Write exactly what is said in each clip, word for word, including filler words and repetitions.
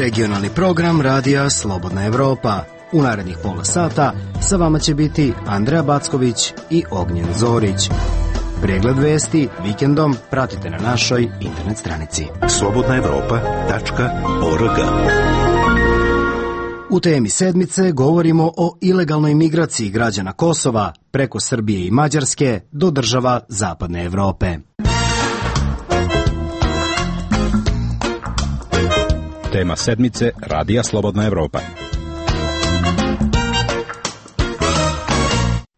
Regionalni program Radija Slobodna Evropa. U narednih pola sata sa vama će biti Andreja Backović i Ognjen Zorić. Pregled vesti vikendom pratite na našoj internet stranici slobodna evropa tačka org. U temi sedmice govorimo o ilegalnoj migraciji građana Kosova preko Srbije i Mađarske do država Zapadne Evrope. Tema sedmice Radija Slobodna Evropa.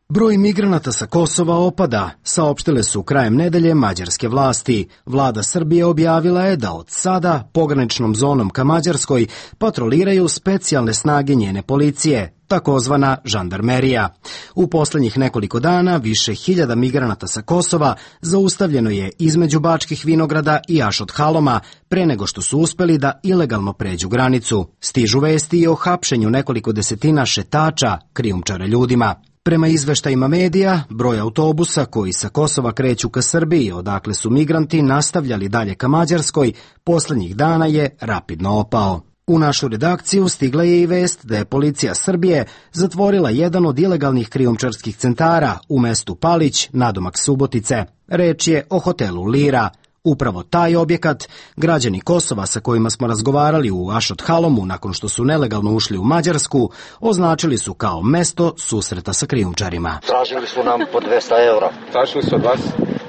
Broj migranata sa Kosova opada, saopštile su krajem nedelje mađarske vlasti. Vlada Srbije objavila je da od sada pograničnom zonom ka Mađarskoj patroliraju specijalne snage njene policije, takozvana žandarmerija. U poslednjih nekoliko dana više hiljada migranata sa Kosova zaustavljeno je između Bačkih Vinograda i Ašot Haloma pre nego što su uspeli da ilegalno pređu granicu. Stižu vesti i o hapšenju nekoliko desetina šetača, krijumčara ljudima. Prema izveštajima medija, broj autobusa koji sa Kosova kreću ka Srbiji, odakle su migranti nastavljali dalje ka Mađarskoj, poslednjih dana je rapidno opao. U našu redakciju stigla je i vest da je policija Srbije zatvorila jedan od ilegalnih krijumčarskih centara u mestu Palić, nadomak Subotice. Reč je o hotelu Lira. Upravo taj objekat građani Kosova sa kojima smo razgovarali u Ašot Halomu nakon što su nelegalno ušli u Mađarsku označili su kao mesto susreta sa krijumčarima. Tražili su nam po dvesta evra. Tražili su od vas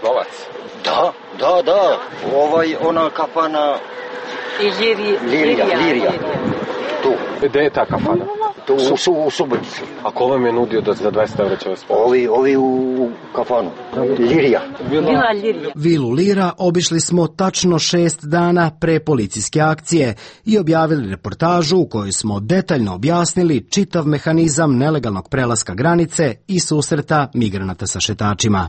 novac? Da, da, da. Ovaj, ona kafana... Lirija. Lirija, Lirija. Tu. Gde je ta kafana? Tu, u, su, u Subotici. A ko vam je nudio da za dvesta evra će vas pomoći? Ovi, ovi u kafanu. Lirija. Vila Lirija. Vilu Lira obišli smo tačno šest dana pre policijske akcije i objavili reportažu u kojoj smo detaljno objasnili čitav mehanizam nelegalnog prelaska granice i susreta migranata sa šetačima.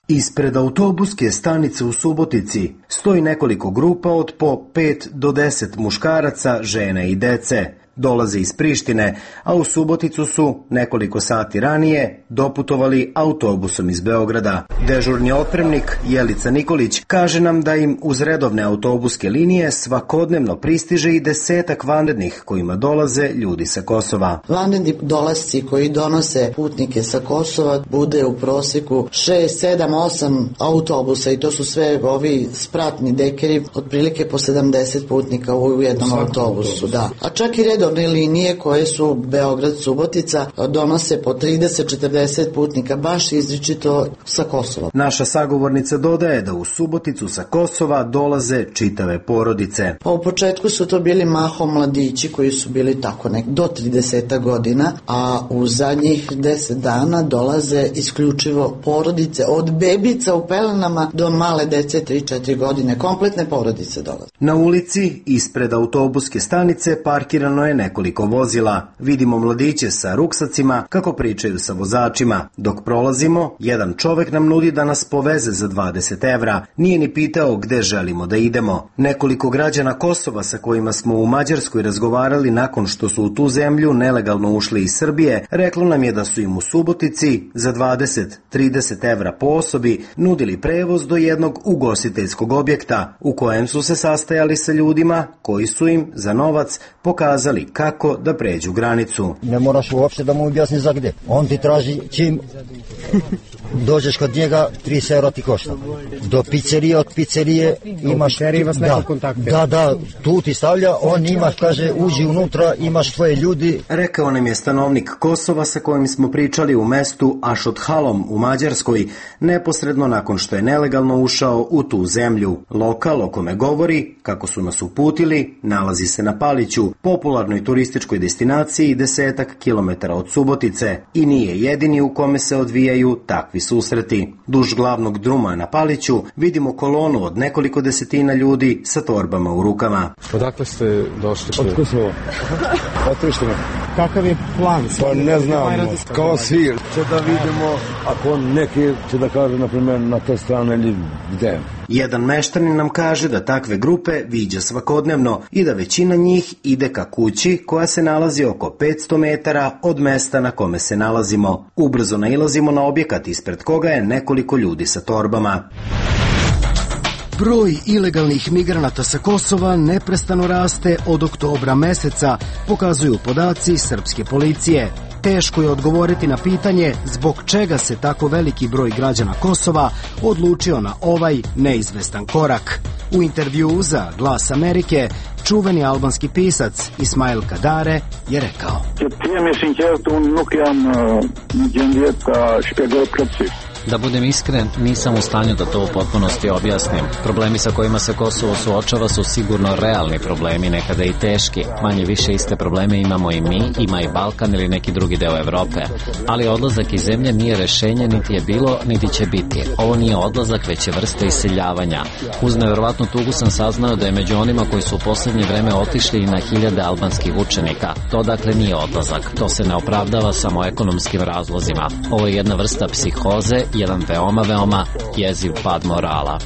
Ispred autobuske stanice u Subotici stoji nekoliko grupa od po pet do deset muškaraca, žene i dece. Dolaze iz Prištine, a u Suboticu su nekoliko sati ranije doputovali autobusom iz Beograda. Dežurni otpremnik Jelica Nikolić kaže nam da im uz redovne autobuske linije svakodnevno pristiže i desetak vanrednih kojima dolaze ljudi sa Kosova. Vanredni dolasci koji donose putnike sa Kosova bude u prosjeku šest, sedam, osam autobusa i to su sve ovi spratni dekeri, otprilike po sedamdeset putnika u jednom autobusu. Da. A čak i redovne linije koje su Beograd-Subotica donose po trideset do četrdeset putnika, baš izričito sa Kosova. Naša sagovornica dodaje da u Suboticu sa Kosova dolaze čitave porodice. Pa u početku su to bili mahom mladići koji su bili tako nek do trideset godina, a u zadnjih deset dana dolaze isključivo porodice, od bebica u pelenama do male dece tri do četiri godine, kompletne porodice dolaze. Na ulici ispred autobuske stanice parkirano je nekoliko vozila. Vidimo mladiće sa ruksacima kako pričaju sa vozačima. Dok prolazimo, jedan čovek nam nudi da nas poveze za dvadeset evra. Nije ni pitao gde želimo da idemo. Nekoliko građana Kosova sa kojima smo u Mađarskoj razgovarali nakon što su u tu zemlju nelegalno ušli iz Srbije, reklo nam je da su im u Subotici za dvadeset do trideset evra po osobi nudili prevoz do jednog ugostiteljskog objekta u kojem su se sastajali sa ljudima koji su im za novac pokazali kako da pređu granicu. Ne moraš uopšte da mu objasni za gde. On ti traži čim dođeš kod njega, trideset evra ti košta. Do pizzerije, od pizzerije imaš... Da, da, da, tu ti stavlja, on imaš, kaže, uđi unutra, imaš tvoje ljudi. Rekao nam je stanovnik Kosova sa kojim smo pričali u mestu Ašot Halom u Mađarskoj, neposredno nakon što je nelegalno ušao u tu zemlju. Lokal o kome govori, kako su nas uputili, nalazi se na Paliću, popularnoj turističkoj destinaciji desetak kilometara od Subotice, i nije jedini u kome se odvijaju takvi susreti. Duž glavnog druma na Paliću vidimo kolonu od nekoliko desetina ljudi sa torbama u rukama. Odakle ste došli? Od Kosova. Od Prištine. Kakav je plan? Pa ne znam, kao svi. Će da vidimo ako neki će da kaže, na primjer, na te strane ili gde. Jedan meštanin nam kaže da takve grupe viđa svakodnevno i da većina njih ide ka kući koja se nalazi oko petsto metara od mesta na kome se nalazimo. Ubrzo nailazimo na objekat ispred koga je nekoliko ljudi sa torbama. Broj ilegalnih migranata sa Kosova neprestano raste od oktobra meseca, pokazuju podaci srpske policije. Teško je odgovoriti na pitanje zbog čega se tako veliki broj građana Kosova odlučio na ovaj neizvestan korak. U intervjuu za Glas Amerike, čuveni albanski pisac Ismail Kadare je rekao: Da budem iskren, nisam u stanju da to u potpunosti objasnim. Problemi sa kojima se Kosovo suočava su sigurno realni problemi, nekada i teški. Manje više iste probleme imamo i mi, ima i Balkan ili neki drugi deo Evrope. Ali odlazak iz zemlje nije rešenje, niti je bilo, niti će biti. Ovo nije odlazak, već je vrsta iseljavanja. Uz neverovatnu tugu sam saznao da je među onima koji su u poslednje vreme otišli i na hiljade albanskih učenika. To dakle nije odlazak. To se ne opravdava samo ekonomskim razlozima. Ovo je jedna vrsta psihoze, jedan veoma, veoma jeziv pad morala.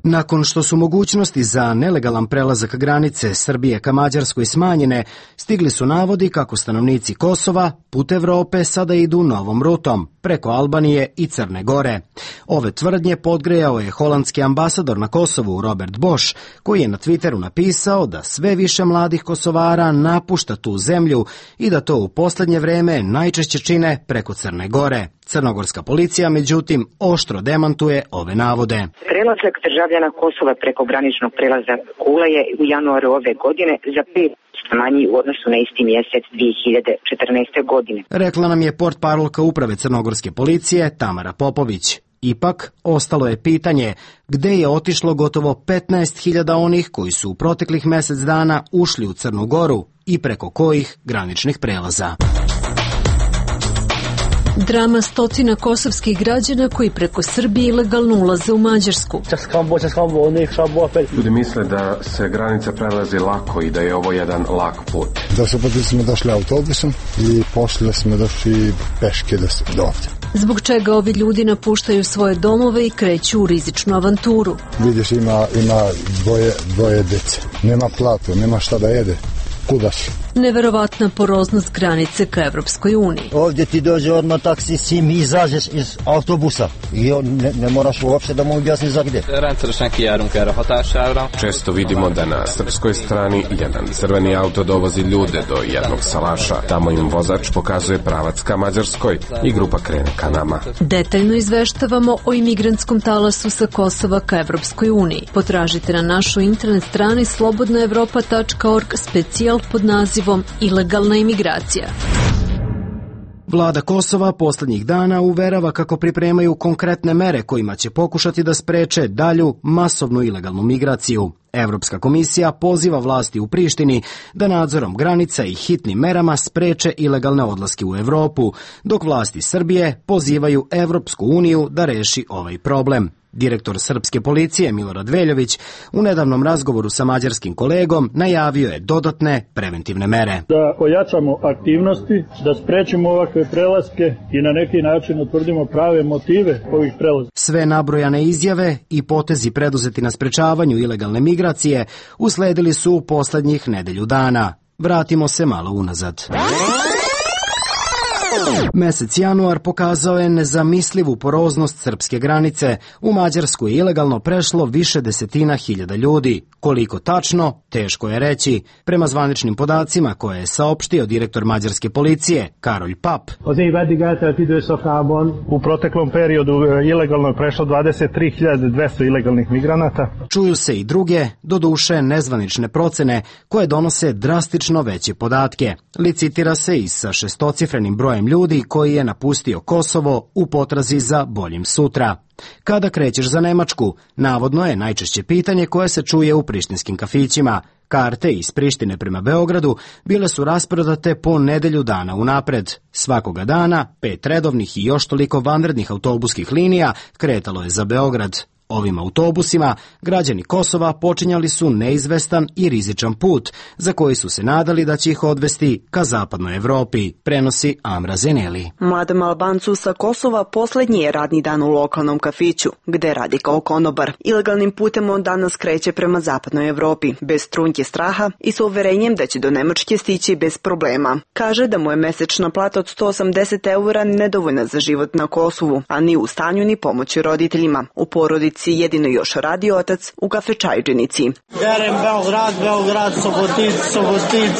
Nakon što su mogućnosti za nelegalan prelazak granice Srbije ka Mađarskoj smanjene, stigli su navodi kako stanovnici Kosova put Evrope sada idu novom rutom, preko Albanije i Crne Gore. Ove tvrdnje podgrejao je holandski ambasador na Kosovu Robert Bosch, koji je na Twitteru napisao da sve više mladih Kosovara napušta tu zemlju i da to u poslednje vreme najčešće čine preko Crne Gore. Crnogorska policija, međutim, oštro demantuje ove navode. Prelazak državljana Kosova preko graničnog prelaza Kula je u januaru ove godine za pet posto manji u odnosu na isti mjesec dvije hiljade četrnaeste. godine. Rekla nam je portparolka uprave Crnogorske policije Tamara Popović. Ipak, ostalo je pitanje gde je otišlo gotovo petnaest hiljada onih koji su u proteklih mesec dana ušli u Crnu Goru i preko kojih graničnih prelaza. Drama stotina kosovskih građana koji preko Srbije ilegalno ulaze u Mađarsku. Ljudi misle da se granica prelazi lako i da je ovo jedan lak put. Da su poti smo došli autobusom i poslije smo došli peške do ovdje. Zbog čega ovi ljudi napuštaju svoje domove i kreću u rizičnu avanturu. Vidiš, ima, ima dvoje, dvoje dece. Nema platu, nema šta da jede. Kuda si? Neverovatna poroznost granice ka Evropskoj uniji. Ovdje ti dođe odmah taksi, sim i izađeš iz autobusa i ne, ne moraš uopšte da mu objasniš za gde. Često vidimo da na srpskoj strani jedan crveni auto dovozi ljude do jednog salaša. Tamo im vozač pokazuje pravac ka Mađarskoj i grupa krene ka nama. Detaljno izveštavamo o imigrantskom talasu sa Kosova ka Evropskoj uniji. Potražite na našoj internet strani slobodna evropa tačka org specijal pod nazivom Ilegalna imigracija. Vlada Kosova poslednjih dana uverava kako pripremaju konkretne mere kojima će pokušati da spreče dalju masovnu ilegalnu migraciju. Evropska komisija poziva vlasti u Prištini da nadzorom granica i hitnim merama spreče ilegalne odlaske u Evropu, dok vlasti Srbije pozivaju Evropsku uniju da reši ovaj problem. Direktor srpske policije Milorad Veljović u nedavnom razgovoru sa mađarskim kolegom najavio je dodatne preventivne mere. Da ojačamo aktivnosti, da sprečimo ovakve prelaske i na neki način utvrdimo prave motive ovih prelaska. Sve nabrojane izjave i potezi preduzeti na sprečavanju ilegalne migracije usledili su u poslednjih nedelju dana. Vratimo se malo unazad. Mesec januar pokazao je nezamislivu poroznost srpske granice. U Mađarsku je ilegalno prešlo više desetina hiljada ljudi. Koliko tačno, teško je reći. Prema zvaničnim podacima koje je saopštio direktor mađarske policije, Karolj Pap. U proteklom periodu ilegalno je prešlo dvadeset tri hiljade dvesta ilegalnih migranata. Čuju se i druge, doduše nezvanične procene, koje donose drastično veće podatke. Licitira se i sa šestocifrenim brojem ljudi koji je napustio Kosovo u potrazi za boljim sutra. Kada krećeš za Nemačku, navodno je najčešće pitanje koje se čuje u prištinskim kafićima. Karte iz Prištine prema Beogradu bile su rasprodate po nedelju dana unapred. Svakoga dana pet redovnih i još toliko vanrednih autobuskih linija kretalo je za Beograd. Ovim autobusima građani Kosova počinjali su neizvestan i rizičan put za koji su se nadali da će ih odvesti ka zapadnoj Evropi, prenosi Amra Zeneli. Mladom Albancu sa Kosova poslednji je radni dan u lokalnom kafiću, gde radi kao konobar. Ilegalnim putem on danas kreće prema zapadnoj Evropi, bez trunke straha i sa uverenjem da će do Nemačke stići bez problema. Kaže da mu je mesečna plata od sto osamdeset eura nedovoljna za život na Kosovu, a ni u stanju ni pomoći roditeljima. U porodici jedino još radi otac u kafečajđenici. Berem Beograd, Beograd, Sobotic, Sobotic,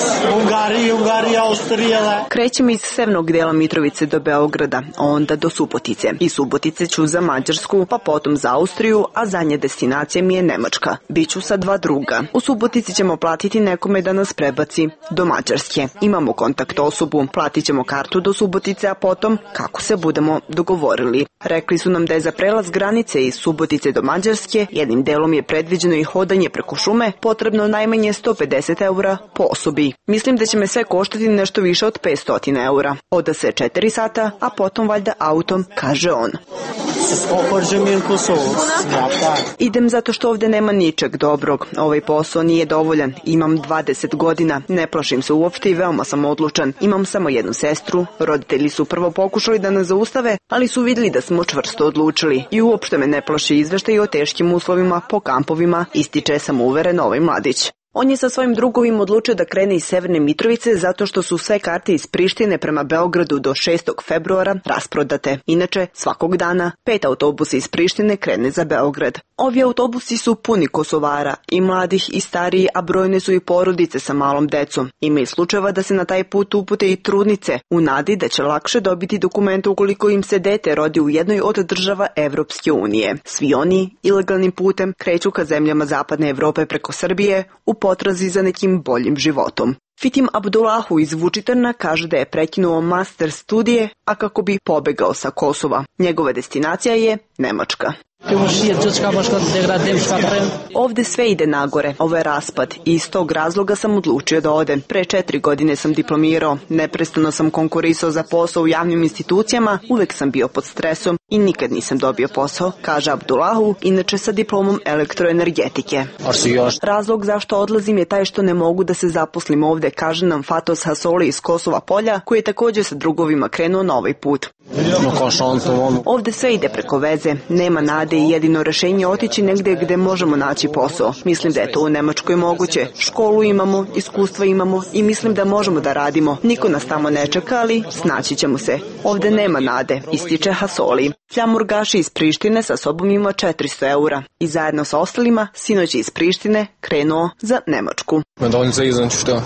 Ungari, Ungari, Austrijele. Krećem iz severnog dela Mitrovice do Beograda, onda do Subotice. I Subotice ću za Mađarsku, pa potom za Austriju, a zadnja destinacija mi je Nemačka. Biću sa dva druga. U Subotici ćemo platiti nekome da nas prebaci do Mađarske. Imamo kontakt osobu, platit ćemo kartu do Subotice, a potom kako se budemo dogovorili. Rekli su nam da je za prelaz granice iz Subotice do Mađarske, jednim delom je predviđeno i hodanje preko šume, potrebno najmanje sto pedeset eura po osobi. Mislim da će me sve koštati nešto više od petsto eura. Oda se četiri sata, a potom valjda autom, kaže on. Idem zato što ovde nema ničeg dobrog. Ovaj posao nije dovoljan. Imam dvadeset godina, ne plašim se uopšte i veoma sam odlučan. Imam samo jednu sestru. Roditelji su prvo pokušali da nas zaustave, ali su vidjeli da smo čvrsto odlučili. I uopšte me ne plaši izveštaj o teškim uslovima po kampovima, ističe samouveren ovaj mladić. On je sa svojim drugovim odlučio da krene iz Severne Mitrovice zato što su sve karte iz Prištine prema Beogradu do šestog februara rasprodate. Inače, svakog dana pet autobusa iz Prištine krene za Beograd. Ovi autobusi su puni Kosovara, i mladih i stariji, a brojne su i porodice sa malom decom. Ima i slučajeva da se na taj put upute i trudnice, u nadi da će lakše dobiti dokumente ukoliko im se dete rodi u jednoj od država Evropske unije. Svi oni ilegalnim putem kreću ka zemljama zapadne Evrope preko Srbije u potrazi za nekim boljim životom. Fitim Abdullahu iz Vučitrna kaže da je prekinuo master studije, a kako bi pobegao sa Kosova. Njegova destinacija je Nemačka. Ovde sve ide nagore, ovo je raspad i iz tog razloga sam odlučio da odem. Pre četiri godine sam diplomirao, neprestano sam konkurisao za posao u javnim institucijama, uvek sam bio pod stresom i nikad nisam dobio posao, kaže Abdullahu, inače sa diplomom elektroenergetike. Razlog zašto odlazim je taj što ne mogu da se zaposlim ovde, kaže nam Fatos Hasoli iz Kosova Polja, koji je također sa drugovima krenuo na ovaj put. Ovde sve ide preko veze, nema nade i jedino rešenje je otići negde gde možemo naći posao. Mislim da je to u Nemačkoj moguće. Školu imamo, iskustva imamo i mislim da možemo da radimo. Niko nas tamo ne čeka, ali snaći ćemo se. Ovde nema nade, ističe Hasoli. Fljamur Gaši iz Prištine sa sobom ima četiristo eura i zajedno sa ostalima sinoć iz Prištine krenuo za Nemačku.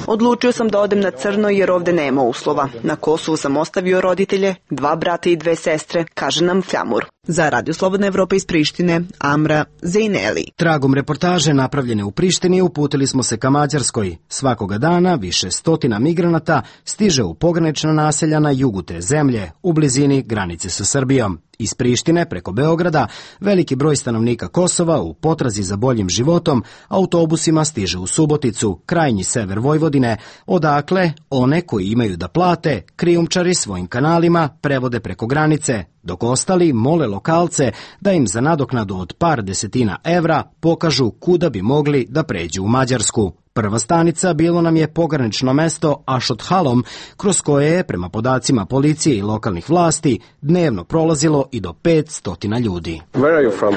Odlučio sam da odem na crno jer ovde nema uslova. Na Kosovu sam ostavio roditelje, dva brata i dve sestre, kaže nam Fljamur. Za Radio Slobodna Evropa iz Prištine, Amra Zeneli. Tragom reportaže napravljene u Prištini uputili smo se ka Mađarskoj. Svakoga dana više stotina migranata stiže u pogranična naselja na jugu te zemlje, u blizini granice sa Srbijom. Iz Prištine preko Beograda veliki broj stanovnika Kosova u potrazi za boljim životom autobusima stiže u Suboticu, krajnji sever Vojvodine, odakle one koji imaju da plate krijumčari svojim kanalima prevode preko granice, dok ostali mole lokalce da im za nadoknadu od par desetina evra pokažu kuda bi mogli da pređu u Mađarsku. Prva stanica bilo nam je pogranično mesto Ašot Halom, kroz koje je, prema podacima policije i lokalnih vlasti, dnevno prolazilo i do pet stotina ljudi. Where are you from?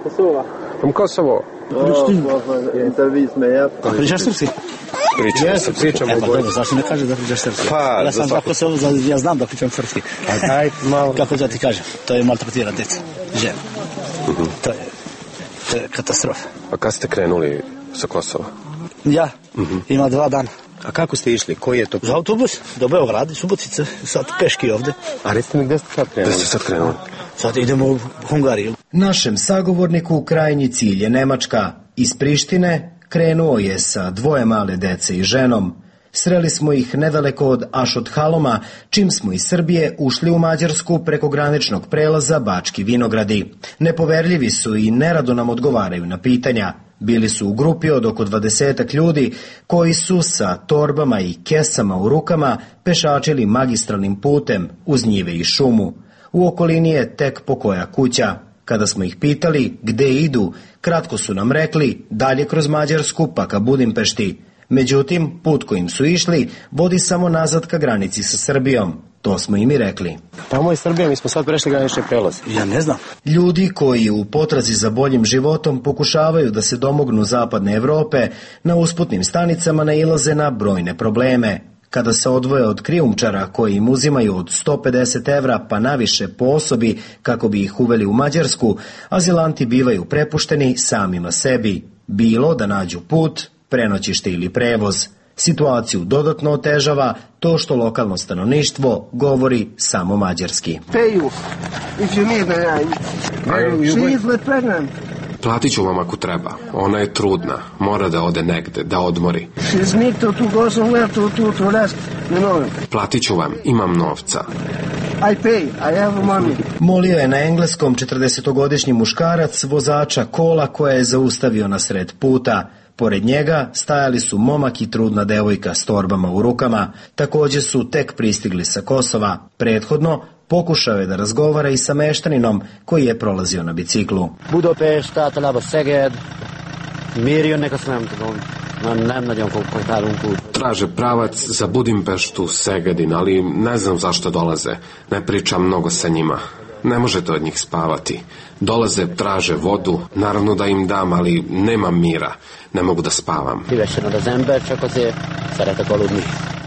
Kosovo. From Kosovo? A pričaš srpski? Pričamo se, pričamo u Bojni. Zašto ne kažeš da pričaš srpski? Pa, ja sam za Kosovo, ja znam da pričam srpski. Ajde, malo. Kako da ti kažem, to je maltretira deca, žena. To je, to je katastrofa. A kad ste krenuli sa Kosova? Ja, ima dva dana. A kako ste išli? Koji je to? Za autobus, do Beograda, Subotice, sad peški ovde. A recite mi gde ste sad krenuli? Gde ste sad krenuli? Sad idemo u Hungariju. Našem sagovorniku krajnji cilj je Nemačka. Iz Prištine krenuo je sa dvoje male dece i ženom. Sreli smo ih nedaleko od Ašot Haloma, čim smo iz Srbije ušli u Mađarsku preko graničnog prelaza Bački Vinogradi. Nepoverljivi su i nerado nam odgovaraju na pitanja. Bili su u grupi od oko dvadesetak ljudi koji su sa torbama i kesama u rukama pešačili magistralnim putem uz njive i šumu. U okolini je tek pokoja kuća. Kada smo ih pitali gde idu, kratko su nam rekli dalje kroz Mađarsku pa ka Budimpešti. Međutim, put kojim su išli vodi samo nazad ka granici sa Srbijom. To smo im i rekli. Tamo je Srbija, mi smo sad prešli granični prelaz. Ja ne znam. Ljudi koji u potrazi za boljim životom pokušavaju da se domognu zapadne Evrope, na usputnim stanicama nailaze na brojne probleme. Kada se odvoje od krijumčara koji im uzimaju od sto pedeset evra pa naviše po osobi kako bi ih uveli u Mađarsku, azilanti bivaju prepušteni samima sebi. Bilo da nađu put, prenoćište ili prevoz. Situaciju dodatno otežava to što lokalno stanovništvo govori samo mađarski. Platit ću vam ako treba. Ona je trudna. Mora da ode negde, da odmori. Platit ću vam. Imam novca. Molio je na engleskom četrdesetogodišnji muškarac vozača kola koja je zaustavio na sred puta. Pored njega stajali su momak i trudna devojka s torbama u rukama. Također su tek pristigli sa Kosova. Prethodno pokušao je da razgovara i sa meštaninom koji je prolazio na biciklu. Budapest, általában Szeged, miért jönnek, azt nem tudom. Nem nagyon kommunikálunk úgy. Traže pravac za Budimpeštu, Segedin, ali ne znam zašto dolaze. Ne pričam mnogo sa njima. Ne možete od njih spavati. Dolaze, traže vodu, naravno da im dam, ali nemam mira. Ne mogu da spavam. Szívesen ad az ember, csak azért szeretek aludni.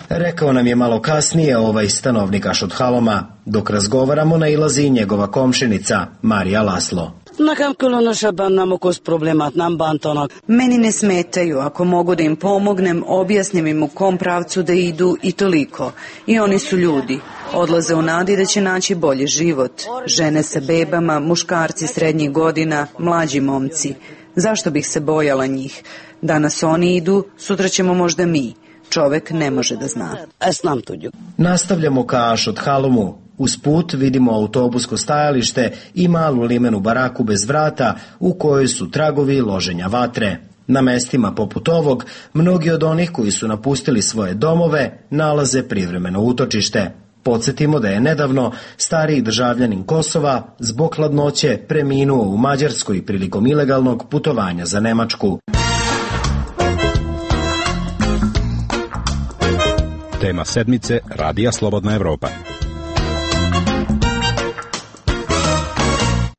Rekao nam je malo kasnije ovaj stanovnik Ašodhaloma. Dok razgovaramo nailazi i njegova komšinica, Marija Laslo. Nekem különösebben nem okoz problémát, nem bántanak. Meni ne smetaju, ako mogu da im pomognem, objasnim im u kom pravcu da idu i toliko. I oni su ljudi. Odlaze u nadi da će naći bolji život. Žene sa bebama, muškarci srednjih godina, mlađi momci. Zašto bih se bojala njih? Danas oni idu, sutra ćemo možda mi. Čovek ne može da zna. Nastavljamo ka Ašodhalomu. Uz put vidimo autobusko stajalište i malu limenu baraku bez vrata u kojoj su tragovi loženja vatre. Na mestima poput ovog, mnogi od onih koji su napustili svoje domove nalaze privremeno utočište. Podsjetimo da je nedavno stariji državljanin Kosova zbog hladnoće preminuo u Mađarskoj prilikom ilegalnog putovanja za Nemačku. Tema sedmice Radija Slobodna Evropa.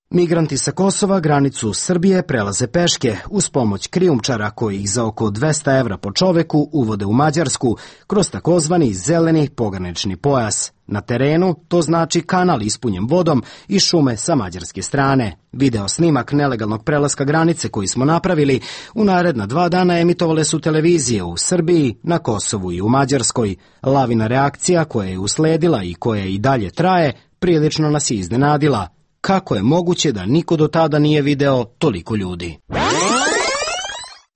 Migranti sa Kosova granicu Srbije prelaze peške uz pomoć krijumčara koji ih za oko dvesta evra po čoveku uvode u Mađarsku kroz takozvani zeleni pogranični pojas. Na terenu to znači kanal ispunjen vodom i šume sa mađarske strane. Video snimak nelegalnog prelaska granice koji smo napravili u naredna dva dana emitovale su televizije u Srbiji, na Kosovu i u Mađarskoj. Lavina reakcija koja je usledila i koja i dalje traje prilično nas je iznenadila. Kako je moguće da niko do tada nije video toliko ljudi?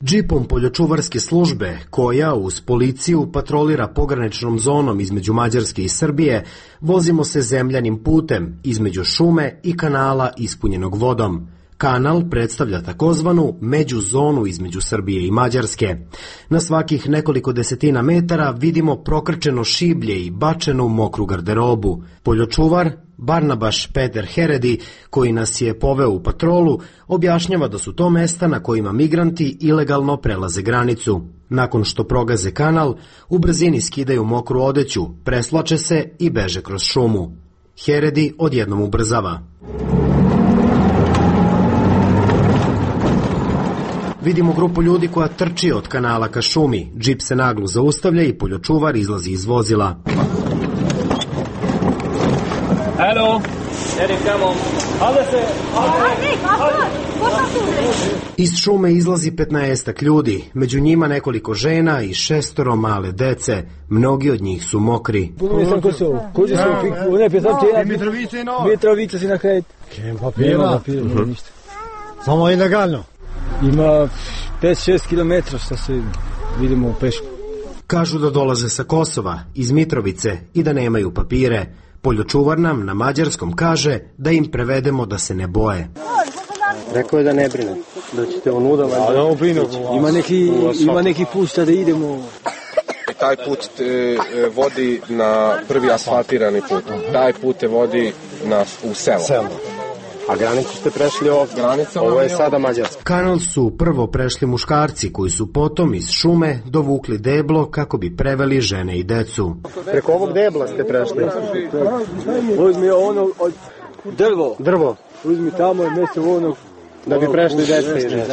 Džipom poljočuvarske službe, koja uz policiju patrolira pograničnom zonom između Mađarske i Srbije, vozimo se zemljanim putem između šume i kanala ispunjenog vodom. Kanal predstavlja takozvanu međuzonu između Srbije i Mađarske. Na svakih nekoliko desetina metara vidimo prokrčeno šiblje i bačenu mokru garderobu. Poljočuvar Barnabaš Peter Heredi, koji nas je poveo u patrolu, objašnjava da su to mesta na kojima migranti ilegalno prelaze granicu. Nakon što progaze kanal, u brzini skidaju mokru odeću, preslače se i beže kroz šumu. Heredi odjednom ubrzava. Vidimo grupu ljudi koja trči od kanala ka šumi. Džip se naglo zaustavlja i poljočuvar izlazi iz vozila. Hello, Erik, come on. Hajde se, Iz šume izlazi petnaestak ljudi, među njima nekoliko žena i šestoro male dece. Mnogi od njih su mokri. Mitrovica si na kraj. Papira, samo ilegalno. Ima pet šest kilometra što se vidimo u pešku. Kažu da dolaze sa Kosova, iz Mitrovice i da nemaju papire. Poljočuvar nam na mađarskom kaže da im prevedemo da se ne boje. Rekao je da ne brine, da ćete onuda. Ima neki, ima neki put da idemo. Taj put te vodi na prvi asfaltirani put. Taj put te vodi na, u selo. A granicu ste prešli ovdje. Granica, ovo je sada Mađarska. Kanal su prvo prešli muškarci koji su potom iz šume dovukli deblo kako bi preveli žene i decu. Preko ovog debla ste prešli. Uzmi ono od drvo. Drvo. Uzmi tamo i mjesto ono da bi prešli deca i žene.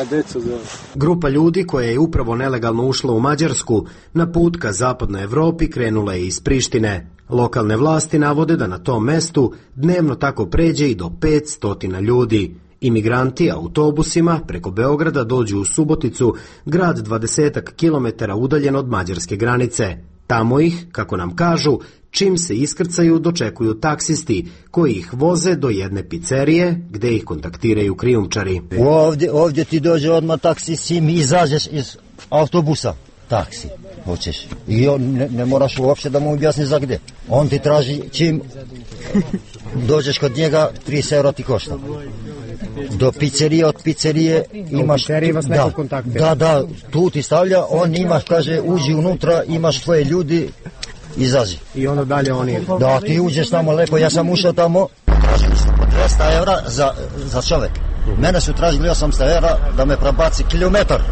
Grupa ljudi koja je upravo nelegalno ušla u Mađarsku na put ka zapadnoj Evropi krenula je iz Prištine. Lokalne vlasti navode da na tom mestu dnevno tako pređe i do petsto ljudi. Imigranti autobusima preko Beograda dođu u Suboticu, grad dvadesetak kilometara udaljen od mađarske granice. Tamo ih, kako nam kažu, čim se iskrcaju dočekuju taksisti koji ih voze do jedne pizzerije gde ih kontaktiraju krijumčari. Ovdje, ovdje ti dođe odmah taksi, sim izađeš iz autobusa. Taksi, hoćeš. I on ne, ne moraš uopšte da mu objasni za gde. On ti traži čim dođeš kod njega, trideset eura ti košta. Do pizzerije, od pizzerije imaš... Da, da, da, tu ti stavlja, on imaš, kaže, uđi unutra, imaš tvoje ljudi, izazi. I onda dalje oni... Da, ti uđeš tamo lepo, ja sam ušao tamo, tražili su po dvesta eura za, za čovek. Mene su tražili osamsto eura da me prebaci kilometar.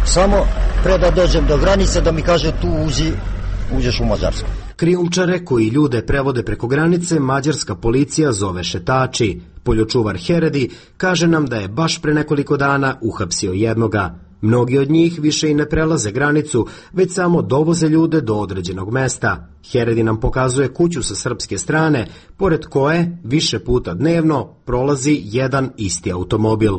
Samo pre da dođem do granice da mi kaže tu uđi, uđeš u Mađarsku. Krijumčare koji ljude prevode preko granice mađarska policija zove šetači. Poljočuvar Heredi kaže nam da je baš pre nekoliko dana uhapsio jednoga. Mnogi od njih više i ne prelaze granicu, već samo dovoze ljude do određenog mesta. Heredi nam pokazuje kuću sa srpske strane, pored koje više puta dnevno prolazi jedan isti automobil.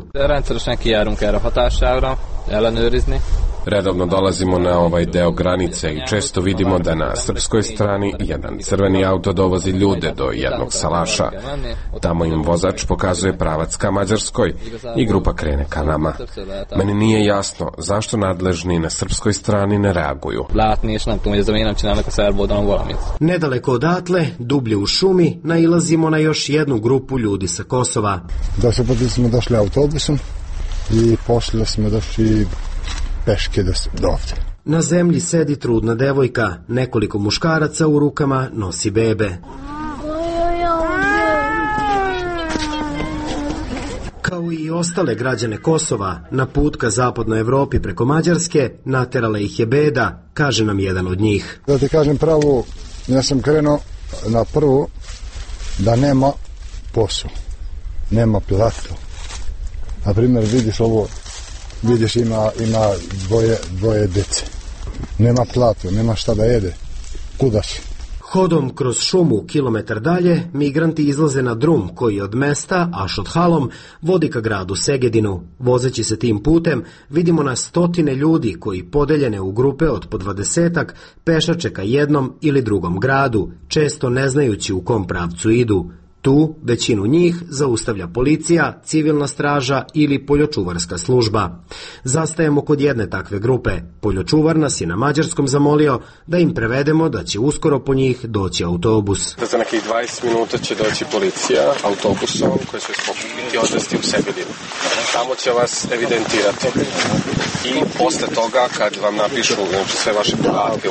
Redovno dolazimo na ovaj deo granice i često vidimo da na srpskoj strani jedan crveni auto dovozi ljude do jednog salaša. Tamo im vozač pokazuje pravac ka Mađarskoj i grupa krene ka nama. Meni nije jasno zašto nadležni na srpskoj strani ne reaguju. Nedaleko odatle, dublje u šumi, nailazimo na još jednu grupu ljudi sa Kosova. Da se poti smo došli autobusom i pošli smo došli peške do ovde. Na zemlji sedi trudna devojka, nekoliko muškaraca u rukama nosi bebe. Kao i ostale građane Kosova, na put ka zapadnoj Evropi preko Mađarske, naterala ih je beda, kaže nam jedan od njih. Da ti kažem pravo, ja sam krenuo na prvu da nema posao, nema platu. Na primjer, vidiš ovo, vidiš ima, ima dvoje, dvoje dece. Nema platu, nema šta da jede. Kuda si? Hodom kroz šumu kilometar dalje, migranti izlaze na drum koji od mesta Ašot-Halom vodi ka gradu Segedinu. Vozeći se tim putem, vidimo na stotine ljudi koji podeljene u grupe od po dvadesetak pešače ka jednom ili drugom gradu, često ne znajući u kom pravcu idu. Tu većinu njih zaustavlja policija, civilna straža ili poljočuvarska služba. Zastajemo kod jedne takve grupe. Poljočuvar nas je na mađarskom zamolio da im prevedemo da će uskoro po njih doći autobus. Za nekih dvadeset minuta će doći policija autobusom koji će vas pokupiti i odvesti u Segedinu. Tamo će vas evidentirati. I posle toga, kad vam napišu znači, sve vaše podatke,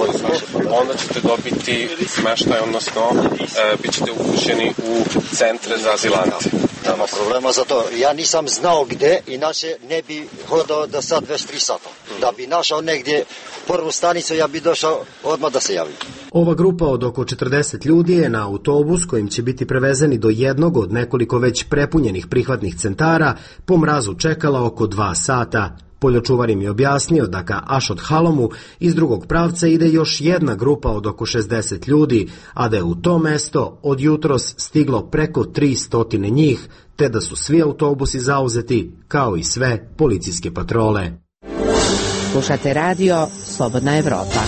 onda ćete dobiti smeštaj, odnosno e, bit ćete upućeni u centre za azilante. Nema problema za to. Ja nisam znao gde, inače ne bi hodao da sad već tri sata. Da bi našao negdje prvu stanicu, ja bi došao odmah da se javim. Ova grupa od oko četrdeset ljudi je na autobus kojim će biti prevezeni do jednog od nekoliko već prepunjenih prihvatnih centara po mrazu čekala oko dva sata. Poljočuvar im je objasnio da ka Ašot-Halomu iz drugog pravca ide još jedna grupa od oko šezdeset ljudi, a da je u to mesto od jutros stiglo preko tristo njih, te da su svi autobusi zauzeti, kao i sve policijske patrole. Slušate radio Slobodna Evropa.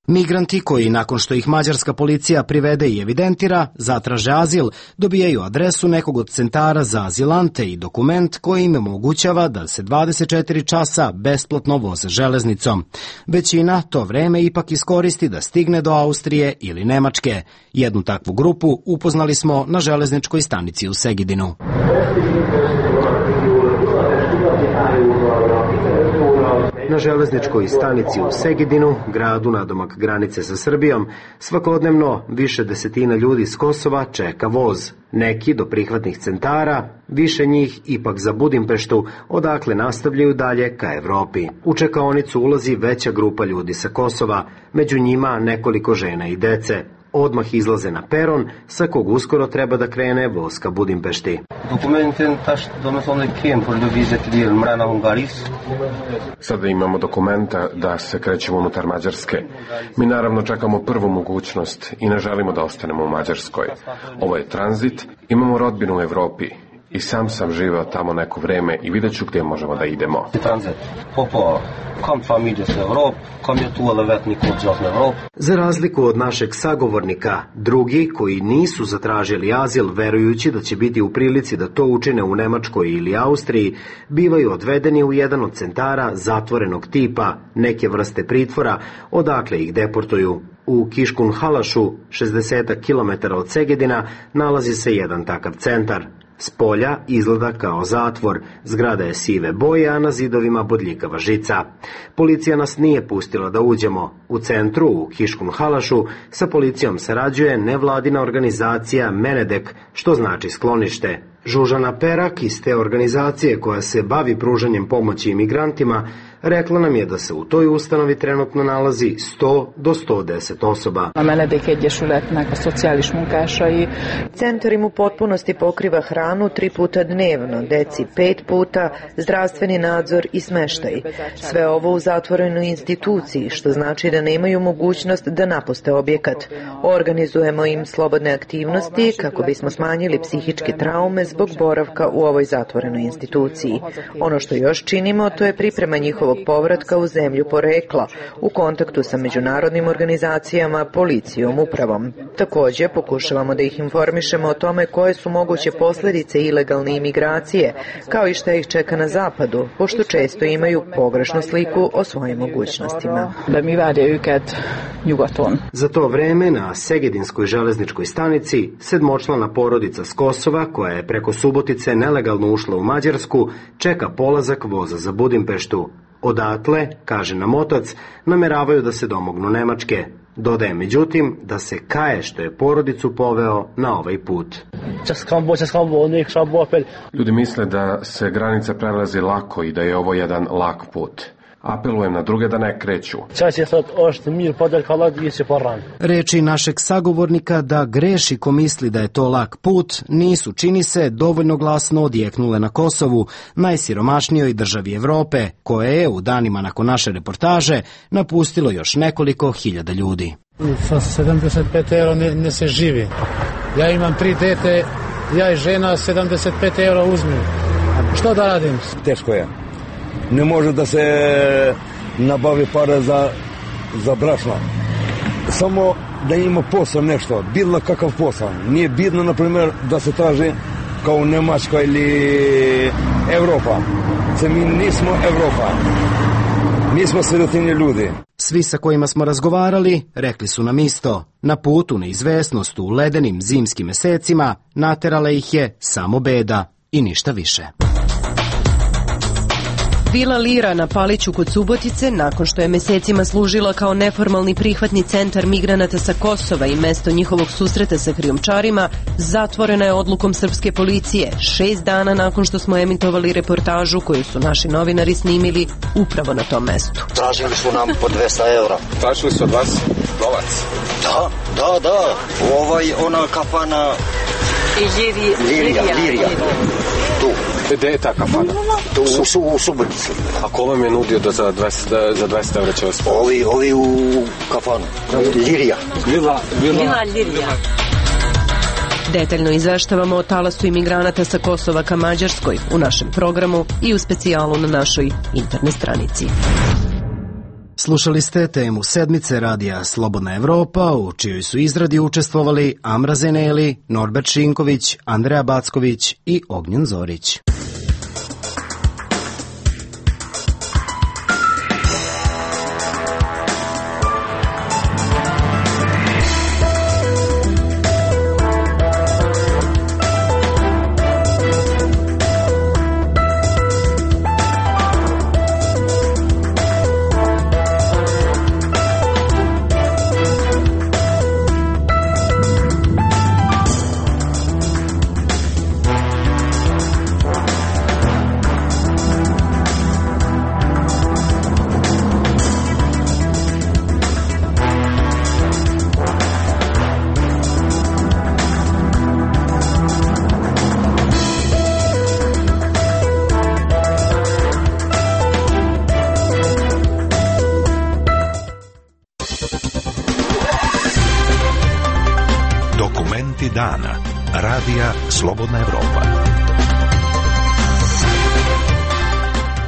Migranti koji, nakon što ih mađarska policija privede i evidentira, zatraže azil, dobijaju adresu nekog od centara za azilante i dokument koji im omogućava da se dvadeset četiri časa besplatno voze železnicom. Većina to vreme ipak iskoristi da stigne do Austrije ili Nemačke. Jednu takvu grupu upoznali smo na železničkoj stanici u Na železničkoj stanici u Segedinu, gradu nadomak granice sa Srbijom, svakodnevno više desetina ljudi s Kosova čeka voz. Neki do prihvatnih centara, više njih ipak za Budimpeštu, odakle nastavljaju dalje ka Evropi. U čekaonicu ulazi veća grupa ljudi sa Kosova, među njima nekoliko žena i dece. Odmah izlaze na peron, sa kog uskoro treba da krene voz ka Budimpešti. Sada imamo dokumenta da se krećemo unutar Mađarske. Mi naravno čekamo prvu mogućnost i ne želimo da ostanemo u Mađarskoj. Ovo je tranzit, imamo rodbinu u Evropi. I sam sam živeo tamo neko vreme i vidjet ću gdje možemo da idemo. Za razliku od našeg sagovornika, drugi koji nisu zatražili azil verujući da će biti u prilici da to učine u Nemačkoj ili Austriji, bivaju odvedeni u jedan od centara zatvorenog tipa, neke vrste pritvora, odakle ih deportuju. U Kiškun Halašu, šezdeset kilometara od Segedina, nalazi se jedan takav centar. S polja izgleda kao zatvor, zgrada je sive boje, a na zidovima bodljikava žica. Policija nas nije pustila da uđemo. U centru, u Kiškun Halašu, sa policijom sarađuje nevladina organizacija Menedek, što znači sklonište. Žužana Perak iz te organizacije koja se bavi pružanjem pomoći imigrantima rekla nam je da se u toj ustanovi trenutno nalazi sto do sto deset osoba. Centar im u potpunosti pokriva hranu tri puta dnevno, deci pet puta, zdravstveni nadzor i smeštaj. Sve ovo u zatvorenoj instituciji, što znači da nemaju mogućnost da napuste objekat. Organizujemo im slobodne aktivnosti kako bismo smanjili psihičke traume zbog boravka u ovoj zatvorenoj instituciji. Ono što još činimo, to je priprema njihovog povratka u zemlju porekla, u kontaktu sa međunarodnim organizacijama, policijom, upravom. Također, pokušavamo da ih informišemo o tome koje su moguće posljedice ilegalne imigracije, kao i šta ih čeka na zapadu, pošto često imaju pogrešnu sliku o svojim mogućnostima. Za to vreme na Segedinskoj železničkoj stanici sedmočlana porodica s Kosova, koja je preko Subotice nelegalno ušla u Mađarsku, čeka polazak voza za Budimpeštu. Odatle, kaže nam otac, nameravaju da se domognu Nemačke. Dodaje međutim da se kaje što je porodicu poveo na ovaj put. Ljudi misle da se granica prelazi lako i da je ovo jedan lak put. Apelujem na druge da ne kreću. Reči našeg sagovornika da greši ko misli da je to lak put nisu, čini se, dovoljno glasno odjeknule na Kosovu, najsiromašnijoj državi Evrope, koje je u danima nakon naše reportaže napustilo još nekoliko hiljada ljudi. Sa sedamdeset pet eura ne, ne se živi. Ja imam tri dete, ja i žena sedamdeset pet eura uzmem. Što da radim? Teško je. Ne može da se nabavi para za, za brašno. Samo da ima posao nešto, bilo kakav posao. Nije bitno, na primjer, da se traži kao u Nemačka ili Evropa. Se mi nismo Evropa. Mi smo sirotinji ljudi. Svi sa kojima smo razgovarali rekli su nam isto. Na putu neizvesnost u ledenim zimskim mesecima naterala ih je samo beda i ništa više. Vila Lira na Paliću kod Subotice, nakon što je mesecima služila kao neformalni prihvatni centar migranata sa Kosova i mesto njihovog susreta sa krijumčarima, zatvorena je odlukom srpske policije, šest dana nakon što smo emitovali reportažu koju su naši novinari snimili upravo na tom mestu. Tražili su nam po dvesta eura. Tražili su od vas novac? Da, da, da. Ovaj, ona kafana... Lirija, Lirija. Tu. Gde je ta kafana? Tu u, u Subotici. A ko vam je nudio da za dvesta, za dvesta eura će vas... Ovi, ovi u kafanu. Lirija. Vila, vila. Vila Lirija. Detaljno izveštavamo o talasu imigranata sa Kosova ka Mađarskoj u našem programu i u specijalu na našoj internet stranici. Slušali ste temu sedmice radija Slobodna Evropa, u čijoj su izradi učestvovali Amra Zeneli, Norbert Šinković, Andreja Backović i Ognjen Zorić. Dokumenti dana. Radija Slobodna Evropa.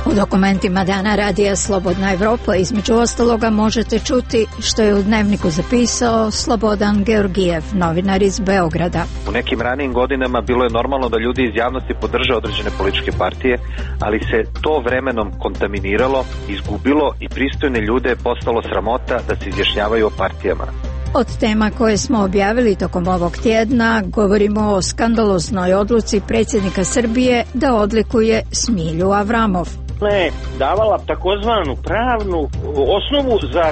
U dokumentima dana Radija Slobodna Evropa između ostaloga možete čuti što je u dnevniku zapisao Slobodan Georgijev, novinar iz Beograda. U nekim ranijim godinama bilo je normalno da ljudi iz javnosti podrže određene političke partije, ali se to vremenom kontaminiralo, izgubilo i pristojne ljude je postalo sramota da se izjašnjavaju o partijama. Od tema koje smo objavili tokom ovog tjedna govorimo o skandaloznoj odluci predsjednika Srbije da odlikuje Smilju Avramov. Ona je davala takozvanu pravnu osnovu za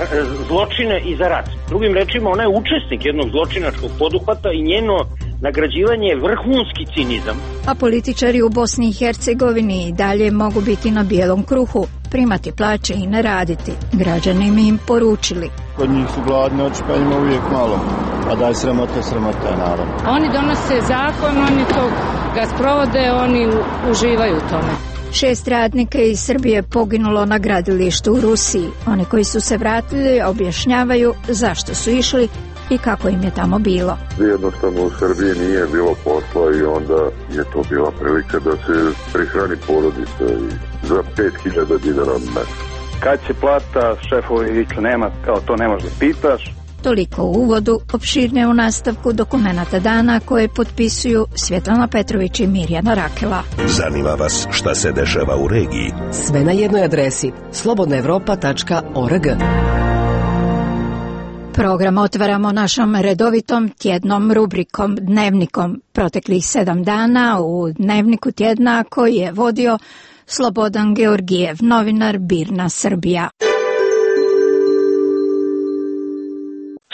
zločine i za rat. Drugim rečima, ona je učesnik jednog zločinačkog poduhvata i njeno nagrađivanje je vrhunski cinizam. A političari u Bosni i Hercegovini i dalje mogu biti na bijelom kruhu, primati plaće i ne raditi. Građani mi im poručili. Kod njih su gladni, oči pa ima uvijek malo. A daj sramota, sramota je naravno. Oni donose zakon, oni to ga sprovode, oni uživaju u tome. Šest radnika iz Srbije poginulo na gradilištu u Rusiji. Oni koji su se vratili objašnjavaju zašto su išli i kako im je tamo bilo. Jednostavno u Srbiji nije bilo posla i onda je to bila prilika da se prihrani porodica i za pet hiljada dinara mjesečno. Kad će plata, šefovi viču nema, kao to ne možeš da pitaš. Toliko u uvodu, opširne u nastavku dokumenata dana koje potpisuju Svjetlana Petrović i Mirjana Rakela. Zanima vas šta se dešava u regiji? Sve na jednoj adresi slobodna evropa tačka org. Program otvaramo našom redovitom tjednom rubrikom Dnevnikom. Proteklih sedam dana u Dnevniku tjedna koji je vodio Slobodan Georgijev, novinar Birna Srbija.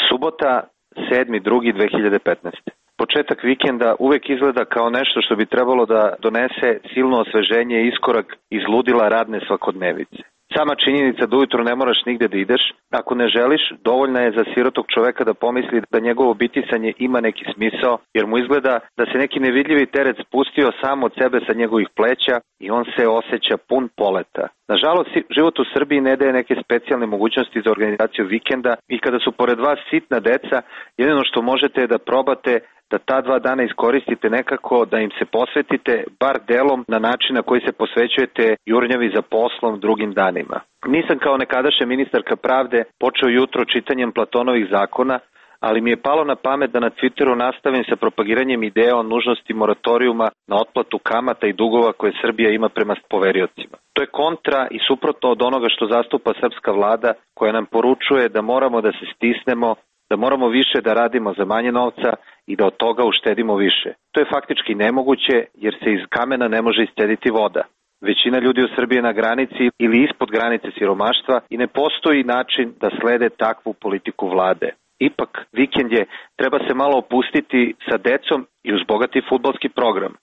Subota, sedmi drugi dve hiljade petnaeste. Početak vikenda uvek izgleda kao nešto što bi trebalo da donese silno osveženje i iskorak iz ludila radne svakodnevice. Sama činjenica da ujutro ne moraš nigde da ideš, ako ne želiš, dovoljna je za sirotog čoveka da pomisli da njegovo bitisanje ima neki smisao, jer mu izgleda da se neki nevidljivi teret spustio sam od sebe sa njegovih pleća i on se osjeća pun poleta. Nažalost, život u Srbiji ne daje neke specijalne mogućnosti za organizaciju vikenda i kada su pored vas sitna deca, jedino što možete je da probate da ta dva dana iskoristite nekako, da im se posvetite, bar delom na način na koji se posvećujete jurnjavi za poslom drugim danima. Nisam kao nekadašnja ministarka pravde počeo jutro čitanjem Platonovih zakona, ali mi je palo na pamet da na Twitteru nastavim sa propagiranjem ideja o nužnosti moratorijuma na otplatu kamata i dugova koje Srbija ima prema poveriocima. To je kontra i suprotno od onoga što zastupa srpska vlada, koja nam poručuje da moramo da se stisnemo, da moramo više da radimo za manje novca i da od toga uštedimo više. To je faktički nemoguće jer se iz kamena ne može iscediti voda. Većina ljudi u Srbiji je na granici ili ispod granice siromaštva i ne postoji način da slede takvu politiku vlade. Ipak, vikend je, treba se malo opustiti sa decom i uz bogati fudbalski program.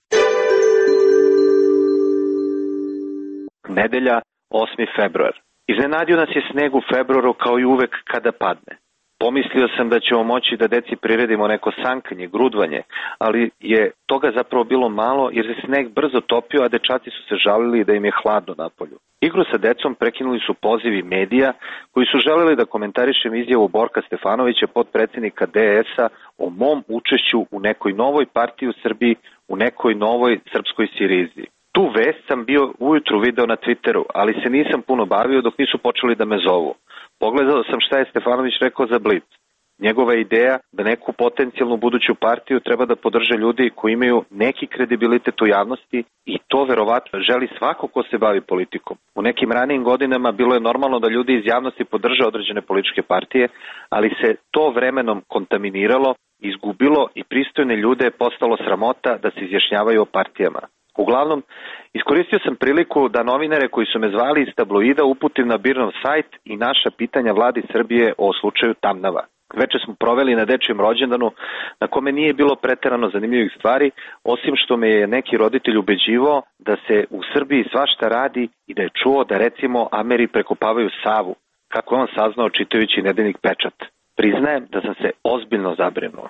Nedelja, osmi februar. Iznenadio nas je sneg u februaru kao i uvek kada padne. Pomislio sam da ćemo moći da deci priredimo neko sankanje, grudvanje, ali je toga zapravo bilo malo jer se sneg brzo topio, a dečaci su se žalili da im je hladno napolju. Igru sa decom prekinuli su pozivi medija koji su želeli da komentarišem izjavu Borka Stefanovića, potpredsjednika D S A, o mom učešću u nekoj novoj partiji u Srbiji, u nekoj novoj srpskoj Sirizi. Tu vest sam bio ujutru video na Twitteru, ali se nisam puno bavio dok nisu počeli da me zovu. Pogledao sam šta je Stefanović rekao za Blic. Njegova ideja da neku potencijalnu buduću partiju treba da podrže ljudi koji imaju neki kredibilitet u javnosti i to verovatno želi svako ko se bavi politikom. U nekim ranijim godinama bilo je normalno da ljudi iz javnosti podrže određene političke partije, ali se to vremenom kontaminiralo, izgubilo i pristojne ljude je postalo sramota da se izjašnjavaju o partijama. Uglavnom, iskoristio sam priliku da novinare koji su me zvali iz tabloida uputim na Birnov sajt i naša pitanja vladi Srbije o slučaju Tamnava. Veče smo proveli na dečijem rođendanu na kome nije bilo preterano zanimljivih stvari, osim što me je neki roditelj ubeđivao da se u Srbiji svašta radi i da je čuo da recimo Ameri prekopavaju Savu, kako je on saznao čitajući nedeljnik Pečat. Priznajem da sam se ozbiljno zabrinuo.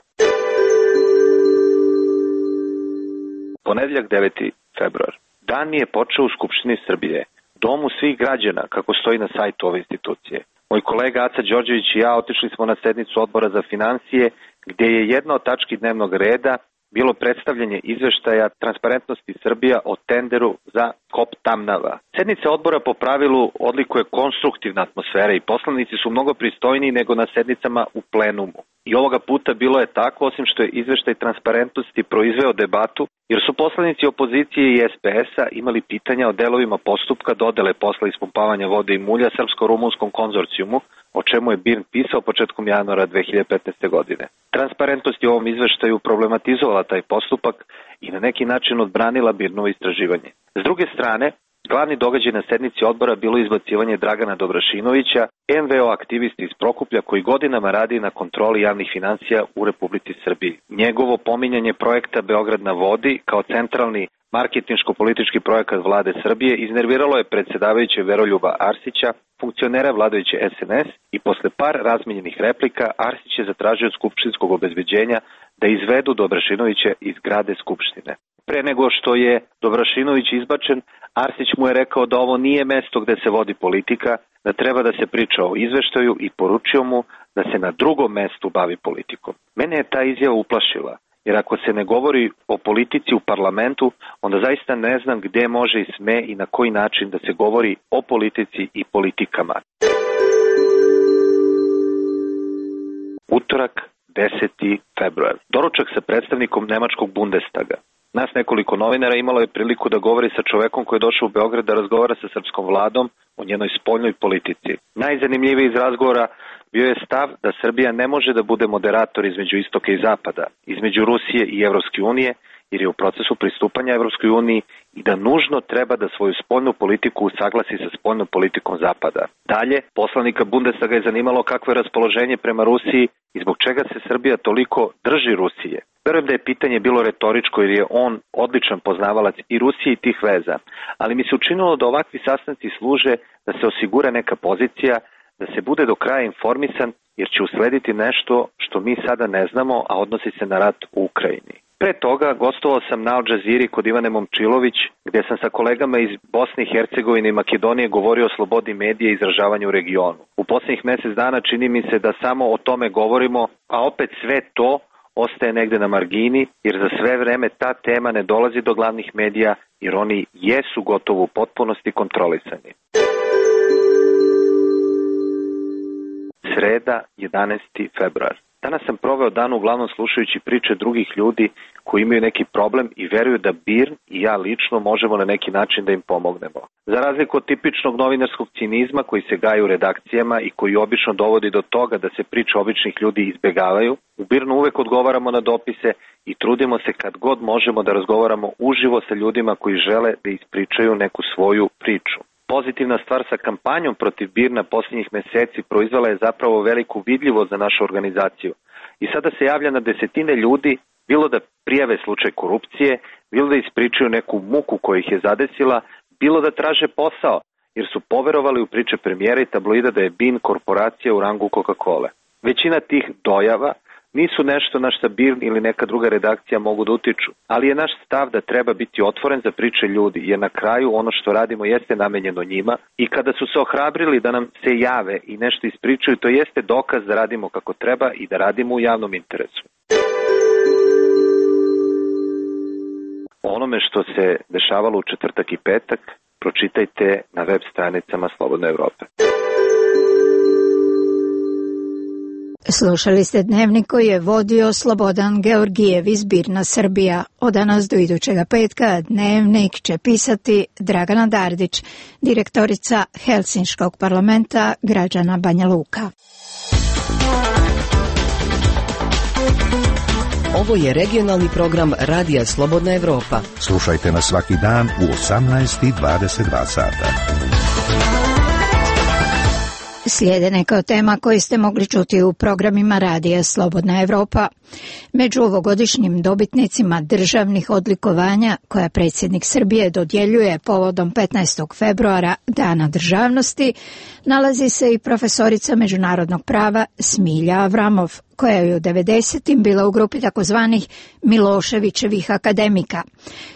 Ponedjeljak deveti februar. Dan mi je počeo u Skupštini Srbije, domu svih građana, kako stoji na sajtu ove institucije. Moj kolega Aca Đorđević i ja otišli smo na sednicu odbora za finansije gdje je jedna od tački dnevnog reda bilo predstavljanje izveštaja Transparentnosti Srbija o tenderu za Kop Tamnava. Sednica odbora po pravilu odlikuje konstruktivna atmosfera i poslanici su mnogo pristojniji nego na sednicama u plenumu. I ovoga puta bilo je tako, osim što je izveštaj Transparentnosti proizveo debatu, jer su poslanici opozicije i es pe es-a imali pitanja o delovima postupka dodele posla ispumpavanja vode i mulja Srpsko-rumunskom konzorcijumu, o čemu je B I R N pisao početkom januara dve hiljade petnaeste. godine. Transparentnost je u ovom izveštaju problematizovala taj postupak i na neki način odbranila B I R N-ovo istraživanje. S druge strane, glavni događaj na sednici odbora bilo izbacivanje Dragana Dobrašinovića, em ve o aktivisti iz Prokuplja koji godinama radi na kontroli javnih financija u Republici Srbiji. Njegovo pominjanje projekta Beograd na vodi kao centralni marketinško-politički projekat vlade Srbije iznerviralo je predsjedavajuće Veroljuba Arsića, funkcionera vladajuće es en es, i posle par razmenjenih replika Arsić je zatražio od skupštinskog obezbeđenja da izvedu Dobrašinovića iz zgrade Skupštine. Pre nego što je Dobrašinović izbačen, Arsić mu je rekao da ovo nije mesto gde se vodi politika, da treba da se priča o izveštaju i poručio mu da se na drugom mestu bavi politikom. Mene je ta izjava uplašila, jer ako se ne govori o politici u parlamentu, onda zaista ne znam gde može i sme i na koji način da se govori o politici i politikama. Utorak, deseti februar. Doručak sa predstavnikom nemačkog Bundestaga. Nas nekoliko novinara imalo je priliku da govori sa čovekom koji je došao u Beograd da razgovara sa srpskom vladom o njenoj spoljnoj politici. Najzanimljiviji iz razgovora bio je stav da Srbija ne može da bude moderator između istoka i zapada, između Rusije i Evropske unije, jer je u procesu pristupanja Evropskoj uniji i da nužno treba da svoju spoljnu politiku usaglasi sa spoljnom politikom zapada. Dalje, poslanika Bundestaga je zanimalo kakvo je raspoloženje prema Rusiji i zbog čega se Srbija toliko drži Rusije. Verujem da je pitanje bilo retoričko jer je on odličan poznavalac i Rusije i tih veza, ali mi se učinilo da ovakvi sastanci služe da se osigura neka pozicija, da se bude do kraja informisan jer će uslediti nešto što mi sada ne znamo, a odnosi se na rat u Ukrajini. Pre toga gostovao sam na Al Džaziri kod Ivane Momčilović, gde sam sa kolegama iz Bosne i Hercegovine i Makedonije govorio o slobodi medija i izražavanju u regionu. U poslednjih mesec dana čini mi se da samo o tome govorimo, a opet sve to ostaje negde na margini, jer za sve vreme ta tema ne dolazi do glavnih medija, jer oni jesu gotovo u potpunosti kontrolisani. Sreda, jedanaesti februar. Danas sam proveo dan uglavnom slušajući priče drugih ljudi koji imaju neki problem i veruju da B I R N i ja lično možemo na neki način da im pomognemo. Za razliku od tipičnog novinarskog cinizma koji se gaji u redakcijama i koji obično dovodi do toga da se priče običnih ljudi izbegavaju, u B I R N-u uvek odgovaramo na dopise i trudimo se kad god možemo da razgovaramo uživo sa ljudima koji žele da ispričaju neku svoju priču. Pozitivna stvar sa kampanjom protiv B I R N-a posljednjih meseci proizvala je zapravo veliku vidljivost za našu organizaciju. I sada se javlja na desetine ljudi, bilo da prijave slučaj korupcije, bilo da ispričaju neku muku koja ih je zadesila, bilo da traže posao, jer su poverovali u priče premijera i tabloida da je B I N korporacija u rangu Coca-Cola. Većina tih dojava nisu nešto na šta B I R N ili neka druga redakcija mogu da utiču, ali je naš stav da treba biti otvoren za priče ljudi, jer na kraju ono što radimo jeste namenjeno njima i kada su se ohrabrili da nam se jave i nešto ispričaju, to jeste dokaz da radimo kako treba i da radimo u javnom interesu. O onome što se dešavalo u četvrtak i petak pročitajte na web stranicama Slobodne Evrope. Slušali ste dnevnik koji je vodio Slobodan Georgijev iz B I R N-a Srbija. Od danas do idućega petka dnevnik će pisati Dragana Dardić, direktorica Helsinškog parlamenta građana Banja Luka. Ovo je regionalni program Radija Slobodna Evropa. Slušajte nas svaki dan u osamnaest i dvadeset dva sata. Slijede neka od tema koje ste mogli čuti u programima Radija Slobodna Evropa. Među ovogodišnjim dobitnicima državnih odlikovanja koja predsjednik Srbije dodjeljuje povodom petnaestog februara, Dana državnosti, nalazi se i profesorica međunarodnog prava Smilja Avramov, koja je u devedesetim bila u grupi takozvanih Miloševićevih akademika.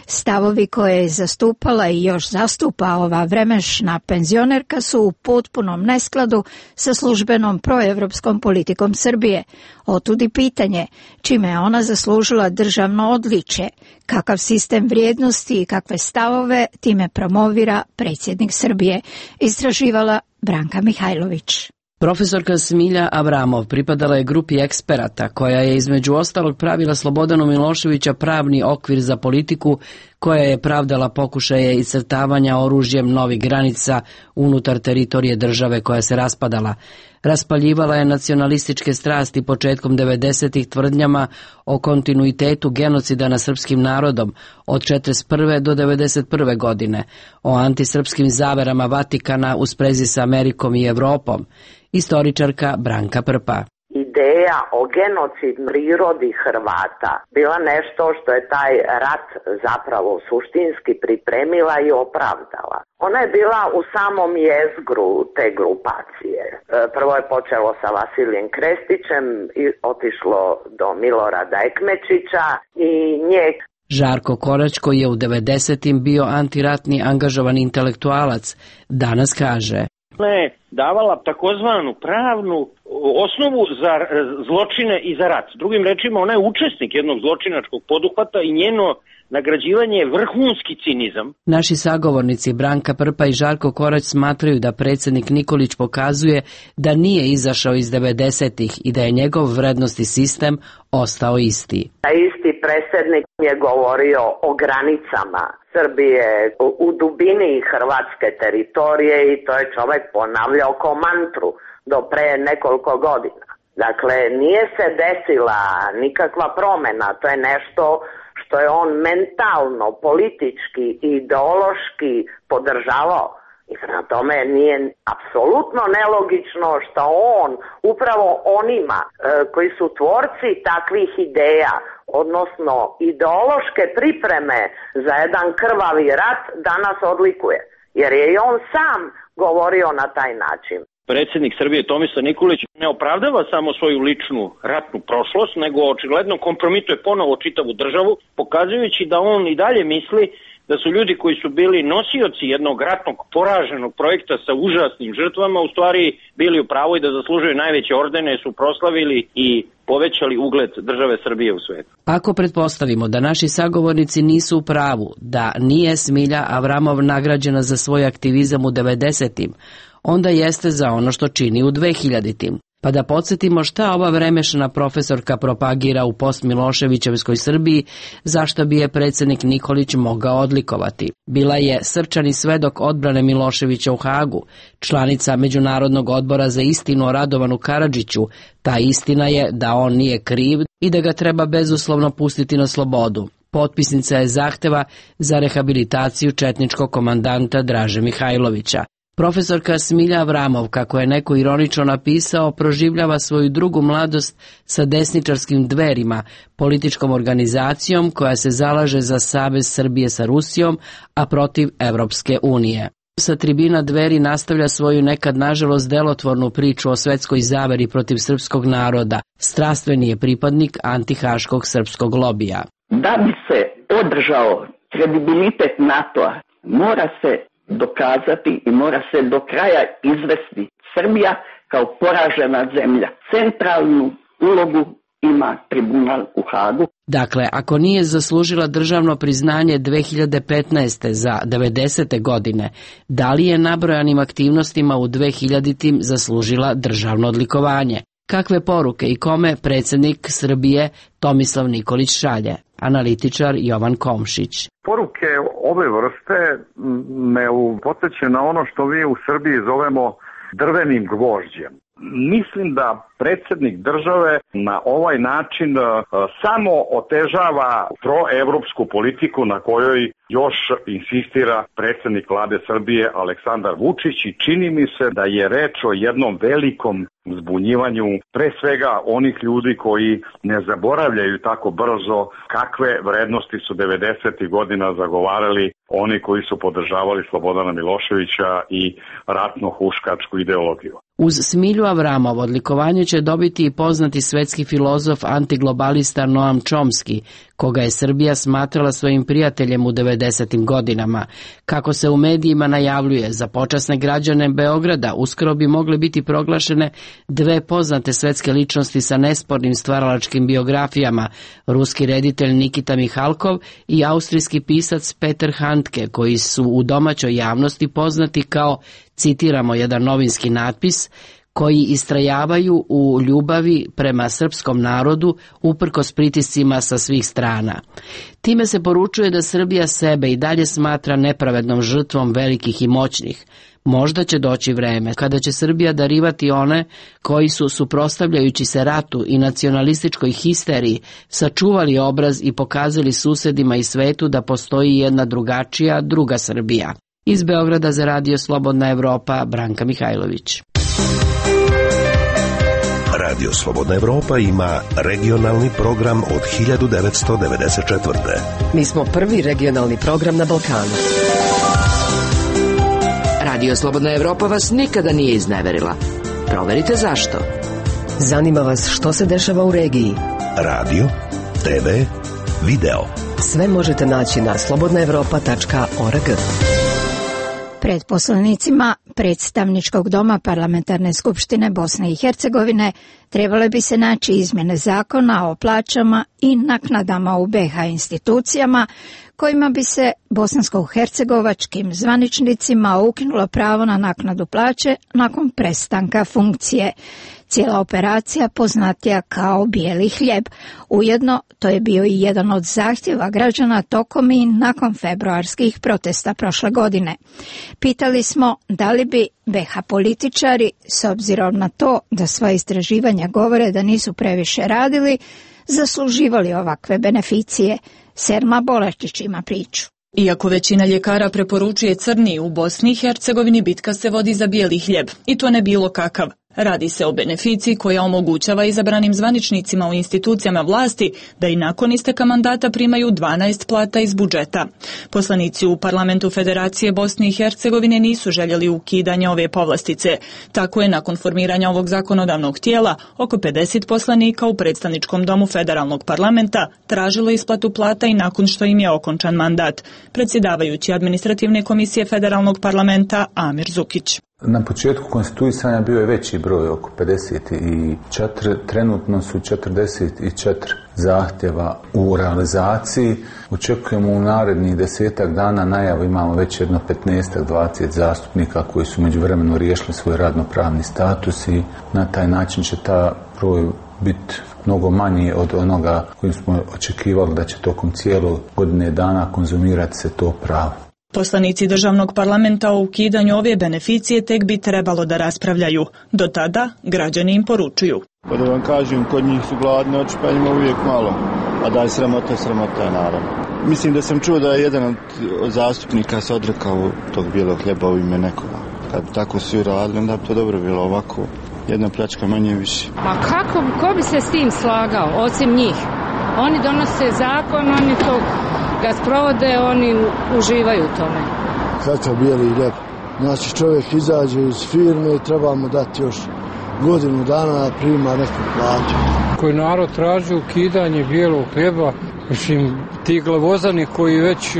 Stavovi koje je zastupala i još zastupa ova vremešna penzionerka su u potpunom neskladu sa službenom proevropskom politikom Srbije. Otudi pitanje čime je ona zaslužila državno odličje, kakav sistem vrijednosti i kakve stavove time promovira predsjednik Srbije, istraživala Branka Mihajlović. Profesorka Smilja Avramov pripadala je grupi eksperata koja je između ostalog pravila Slobodanu Miloševića pravni okvir za politiku koja je pravdala pokušaje iscrtavanja oružjem novih granica unutar teritorije države koja se raspadala. Raspaljivala je nacionalističke strasti početkom devedesetih tvrdnjama o kontinuitetu genocida nad srpskim narodom od četrdeset prve do devedeset prve godine, o antisrpskim zaverama Vatikana u sprezi sa Amerikom i Evropom. Istoričarka Branka Prpa. Ideja o genocidnoj prirodi Hrvata bila nešto što je taj rat zapravo suštinski pripremila i opravdala. Ona je bila u samom jezgru te grupacije. Prvo je počelo sa Vasilijem Krestićem i otišlo do Milorada Ekmečića i nje. Žarko Korać, koji je u devedesetim bio antiratni angažovan intelektualac, danas kaže: Ona je davala takozvanu pravnu osnovu za zločine i za rat. Drugim rečima, ona je učesnik jednog zločinačkog poduhvata i njeno nagrađivanje je vrhunski cinizam. Naši sagovornici Branka Prpa i Žarko Korać smatraju da predsjednik Nikolić pokazuje da nije izašao iz devedesetih i da je njegov vrednosti sistem ostao isti. Taj isti predsjednik je govorio o granicama Srbije u dubini hrvatske teritorije i to je čovjek ponavljao kao mantru do pre nekoliko godina. Dakle, nije se desila nikakva promjena, to je nešto što je on mentalno, politički i ideološki podržavao. I prema tome nije apsolutno nelogično što on upravo onima e, koji su tvorci takvih ideja, odnosno ideološke pripreme za jedan krvavi rat, danas odlikuje. Jer je i on sam govorio na taj način. Predsjednik Srbije Tomislav Nikolić ne opravdava samo svoju ličnu ratnu prošlost, nego očigledno kompromituje ponovo čitavu državu, pokazujući da on i dalje misli da su ljudi koji su bili nosioci jednog ratnog poraženog projekta sa užasnim žrtvama u stvari bili u pravu i da zaslužuju najveće ordene, su proslavili i povećali ugled države Srbije u svijetu. Ako pretpostavimo da naši sagovornici nisu u pravu, da nije Smilja Avramov nagrađena za svoj aktivizam u devedesetim, onda jeste za ono što čini u dvehiljaditim. Pa da podsjetimo šta ova vremešna profesorka propagira u post-Miloševićevskoj Srbiji, zašto bi je predsjednik Nikolić mogao odlikovati. Bila je srčani svedok odbrane Miloševića u Hagu, članica Međunarodnog odbora za istinu o Radovanu Karadžiću. Ta istina je da on nije kriv i da ga treba bezuslovno pustiti na slobodu. Potpisnica je zahteva za rehabilitaciju četničkog komandanta Draže Mihajlovića. Profesorka Smilja Avramov, kako je neko ironično napisao, proživljava svoju drugu mladost sa desničarskim Dverima, političkom organizacijom koja se zalaže za savez Srbije sa Rusijom, a protiv Evropske unije. Sa tribina Dveri nastavlja svoju nekad nažalost delotvornu priču o svetskoj zaveri protiv srpskog naroda. Strastveni je pripadnik antihaškog srpskog lobija. Da bi se održao kredibilitet NATO-a, mora se dokazati i mora se do kraja izvesti Srbija kao poražena zemlja. Centralnu ulogu ima tribunal u Hagu. Dakle, ako nije zaslužila državno priznanje dve hiljade petnaeste za devedesete godine, da li je nabrojanim aktivnostima u dvehiljaditim zaslužila državno odlikovanje? Kakve poruke i kome predsjednik Srbije Tomislav Nikolić šalje? Analitičar Jovan Komšić. Poruke ove vrste me podsjećaju na ono što mi u Srbiji zovemo drvenim gvožđem. Mislim da predsjednik države na ovaj način samo otežava proevropsku politiku na kojoj još insistira predsjednik vlade Srbije Aleksandar Vučić i čini mi se da je reč o jednom velikom zbunjivanju pre svega onih ljudi koji ne zaboravljaju tako brzo kakve vrednosti su devedesetih godina zagovarali oni koji su podržavali Slobodana Miloševića i ratno-huškačku ideologiju. Uz Smilju Avramov odlikovanje će dobiti i poznati svetski filozof antiglobalista Noam Chomsky, koga je Srbija smatrala svojim prijateljem u devedesetim godinama. Kako se u medijima najavljuje, za počasne građane Beograda uskoro bi mogle biti proglašene dve poznate svetske ličnosti sa nespornim stvaralačkim biografijama, ruski reditelj Nikita Mihalkov i austrijski pisac Peter Handke, koji su u domaćoj javnosti poznati kao, citiramo jedan novinski natpis, koji istrajavaju u ljubavi prema srpskom narodu uprkos pritiscima sa svih strana. Time se poručuje da Srbija sebe i dalje smatra nepravednom žrtvom velikih i moćnih. Možda će doći vreme kada će Srbija darivati one koji su, suprotstavljajući se ratu i nacionalističkoj histeriji, sačuvali obraz i pokazali susedima i svetu da postoji jedna drugačija, druga Srbija. Iz Beograda za Radio Slobodna Evropa, Branka Mihajlović. Radio Slobodna Evropa ima regionalni program od hiljadu devetsto devedeset četvrte. Mi smo prvi regionalni program na Balkanu. Radio Slobodna Evropa vas nikada nije izneverila. Proverite zašto. Zanima vas što se dešava u regiji. Radio, te ve, video. Sve možete naći na slobodna evropa tačka org. Pred poslanicima Predstavničkog doma Parlamentarne skupštine Bosne i Hercegovine trebale bi se naći izmjene zakona o plaćama i naknadama u be ha institucijama, kojima bi se bosansko-hercegovačkim zvaničnicima ukinulo pravo na naknadu plaće nakon prestanka funkcije. Cijela operacija poznatija kao bijeli hljeb. Ujedno, to je bio i jedan od zahtjeva građana tokom i nakon februarskih protesta prošle godine. Pitali smo da li bi be ha političari, s obzirom na to da sva istraživanja govore da nisu previše radili, zasluživali ovakve beneficije. Selma Bolačić ima priču. Iako većina ljekara preporučuje crni, u Bosni i Hercegovini bitka se vodi za bijeli hljeb, i to ne bilo kakav. Radi se o beneficiji koja omogućava izabranim zvaničnicima u institucijama vlasti da i nakon isteka mandata primaju dvanaest plata iz budžeta. Poslanici u Parlamentu Federacije Bosne i Hercegovine nisu željeli ukidanje ove povlastice. Tako je nakon formiranja ovog zakonodavnog tijela oko pedeset poslanika u Predstavničkom domu Federalnog parlamenta tražilo isplatu plata i nakon što im je okončan mandat. Predsjedavajući administrativne komisije Federalnog parlamenta Amir Zukić. Na početku konstituisanja bio je veći broj, oko pedeset četiri, trenutno su četrdeset četiri zahtjeva u realizaciji. Očekujemo u narednih desetak dana najavu, imamo već jedno petnaest do dvadeset zastupnika koji su međuvremeno riješili svoj radnopravni status i na taj način će ta broj biti mnogo manji od onoga kojim smo očekivali da će tokom cijelo godine dana konzumirati se to pravo. Poslanici državnog parlamenta o ukidanju ove beneficije tek bi trebalo da raspravljaju. Do tada građani im poručuju. Pa da vam kažem, kod njih su gladni oči, pa njima uvijek malo. A da je sramota, sramota je naravno. Mislim da sam čuo da je jedan od zastupnika se odrekao tog bijelog hljeba u ime nekoga. Kad bi tako svi radili, onda bi to dobro bilo, ovako. Jedna pljačka manje više. Ma kako, ko bi se s tim slagao, osim njih? Oni donose zakon, oni to ga sprovode, oni uživaju u tome. Kakav bijeli hljeb. Znači čovjek izađe iz firme i treba mu dati još godinu dana da prima neku platu. Koji narod traži ukidanje bijelog hljeba, mislim, ti glavozani koji već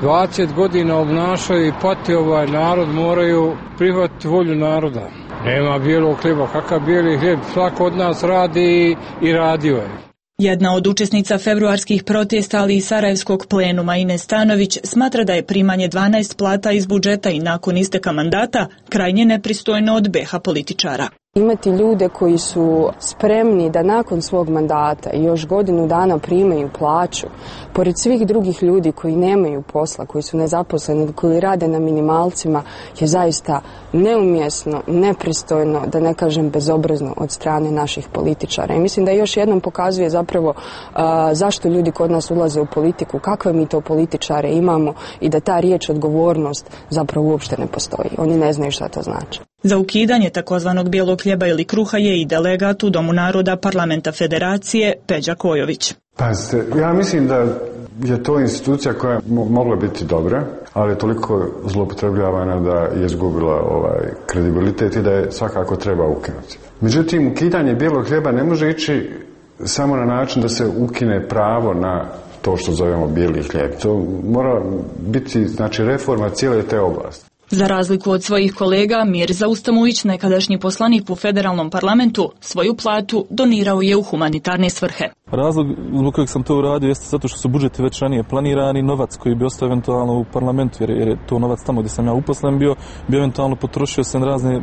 dvadeset godina obnašaju i pati ovaj narod moraju prihvatiti volju naroda. Nema bijelog hljeba, kakav bijeli hljeb, svako od nas radi i radio je. Jedna od učesnica februarskih protesta, ali i Sarajevskog plenuma, Ines Stanović, smatra da je primanje dvanaest plata iz budžeta i nakon isteka mandata krajnje nepristojno od be ha političara. Imati ljude koji su spremni da nakon svog mandata i još godinu dana primaju plaću, pored svih drugih ljudi koji nemaju posla, koji su nezaposleni, koji rade na minimalcima, je zaista neumjesno, nepristojno, da ne kažem bezobrazno od strane naših političara. I mislim da još jednom pokazuje zapravo uh, zašto ljudi kod nas ulaze u politiku, kakve mi to političare imamo i da ta riječ odgovornost zapravo uopšte ne postoji. Oni ne znaju šta to znači. Za ukidanje takozvanog bijelog hljeba ili kruha je i delegat u Domu naroda Parlamenta Federacije Peđa Kojović. Pazite, ja mislim da je to institucija koja je mogla biti dobra, ali je toliko zloupotrebljavana da je izgubila ovaj kredibilitet i da je svakako treba ukinuti. Međutim, ukidanje bijelog hljeba ne može ići samo na način da se ukine pravo na to što zovemo bijeli hljeb. To mora biti, znači, reforma cijele te oblasti. Za razliku od svojih kolega, Mirza Ustamović, nekadašnji poslanik u federalnom parlamentu, svoju platu donirao je u humanitarne svrhe. Razlog zbog kojeg sam to uradio jeste zato što su budžeti već ranije planirani, novac koji bi ostao eventualno u parlamentu, jer je to novac tamo gdje sam ja uposlen bio, bi eventualno potrošio se na razne e,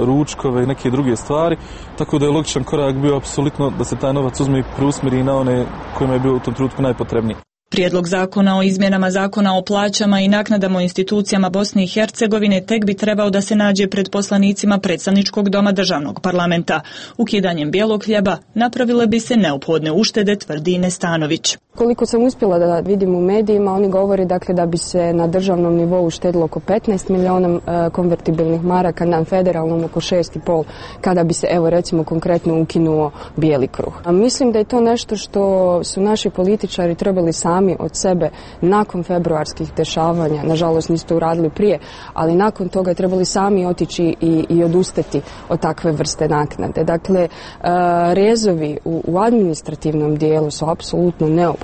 ručkove i neke druge stvari, tako da je logičan korak bio apsolutno da se taj novac uzme i preusmjeri na one kojima je bio u tom trenutku najpotrebniji. Prijedlog zakona o izmjenama zakona o plaćama i naknadama u institucijama Bosne i Hercegovine tek bi trebao da se nađe pred poslanicima predstavničkog doma državnog parlamenta. Ukidanjem bijelog hljeba napravile bi se neophodne uštede, tvrdi Nestanović. Koliko sam uspjela da vidim u medijima, oni govori dakle da bi se na državnom nivou uštedilo oko petnaest miliona e, konvertibilnih maraka, na federalnom oko šest i pol, kada bi se, evo recimo, konkretno ukinuo bijeli kruh. A mislim da je to nešto što su naši političari trebali sami od sebe nakon februarskih dešavanja, nažalost nisu to uradili prije, ali nakon toga je trebali sami otići i, i odustati od takve vrste naknade. Dakle, e, rezovi u, u administrativnom dijelu su apsolutno neophodni.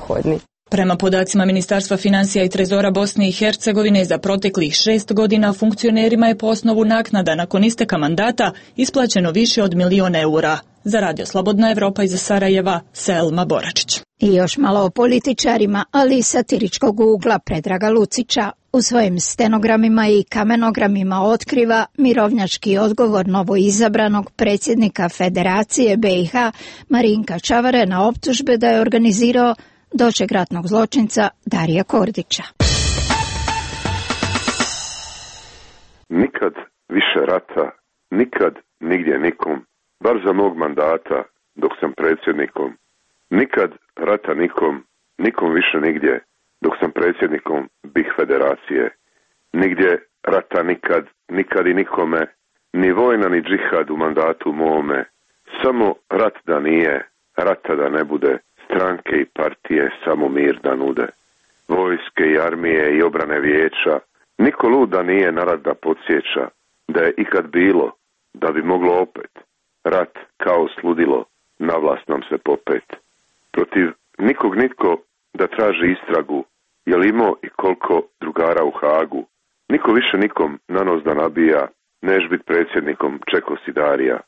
Prema podacima Ministarstva financija i trezora Bosne i Hercegovine, za proteklih šest godina funkcionerima je po osnovu naknada nakon isteka mandata isplaćeno više od milion eura. Za Radio Slobodna Evropa iz Sarajeva, Selma Boračić. I još malo o političarima, ali iz satiričkog ugla Predraga Lucića. U svojim stenogramima i kamenogramima otkriva mirovnjački odgovor novoizabranog predsjednika Federacije B i H Marinka Čavare na optužbe da je organizirao doček ratnog zločinca Darija Kordića. Nikad više rata, nikad nigdje nikom, bar za mog mandata dok sam predsjednikom. Nikad rata nikom, nikom više nigdje dok sam predsjednikom B I H Federacije. Nigdje rata nikad, nikad i nikome, ni vojna ni džihad u mandatu mome. Samo rat da nije, rata da ne bude, stranke i partije samo mir da nude. Vojske i armije i obrane vijeća, niko lud da nije na rat da podsjeća, da je ikad bilo, da bi moglo opet. Rat kao sludilo, na vlast nam se popet. Protiv nikog nitko da traži istragu, je li imao i koliko drugara u Hagu. Niko više nikom na nos da nabija, neš bit predsjednikom Čeko Sidarija.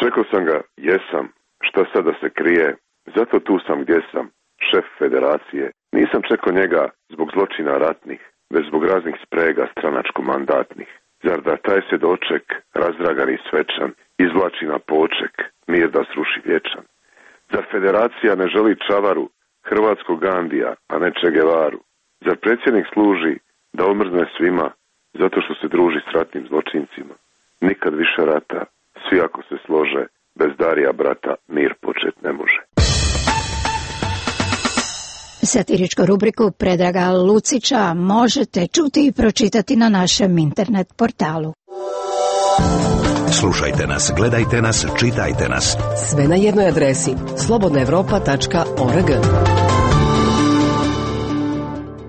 Čekao sam ga, jesam, šta sada se krije, zato tu sam gdje sam, šef federacije. Nisam čekao njega zbog zločina ratnih, već zbog raznih sprega stranačko-mandatnih. Zar da taj se doček, razdragan i svečan, izvlači na poček, mir da sruši vječan? Zar federacija ne želi Čavaru, hrvatskog Gandija, a ne Che Guevaru? Zar predsjednik služi da omrzne svima, zato što se druži s ratnim zločincima? Nikad više rata, svi ako se slože, bez Darija brata mir počet ne može. Satiričku rubriku Predraga Lucića možete čuti i pročitati na našem internet portalu. Slušajte nas, gledajte nas, čitajte nas. Sve na jednoj adresi slobodna evropa tačka org.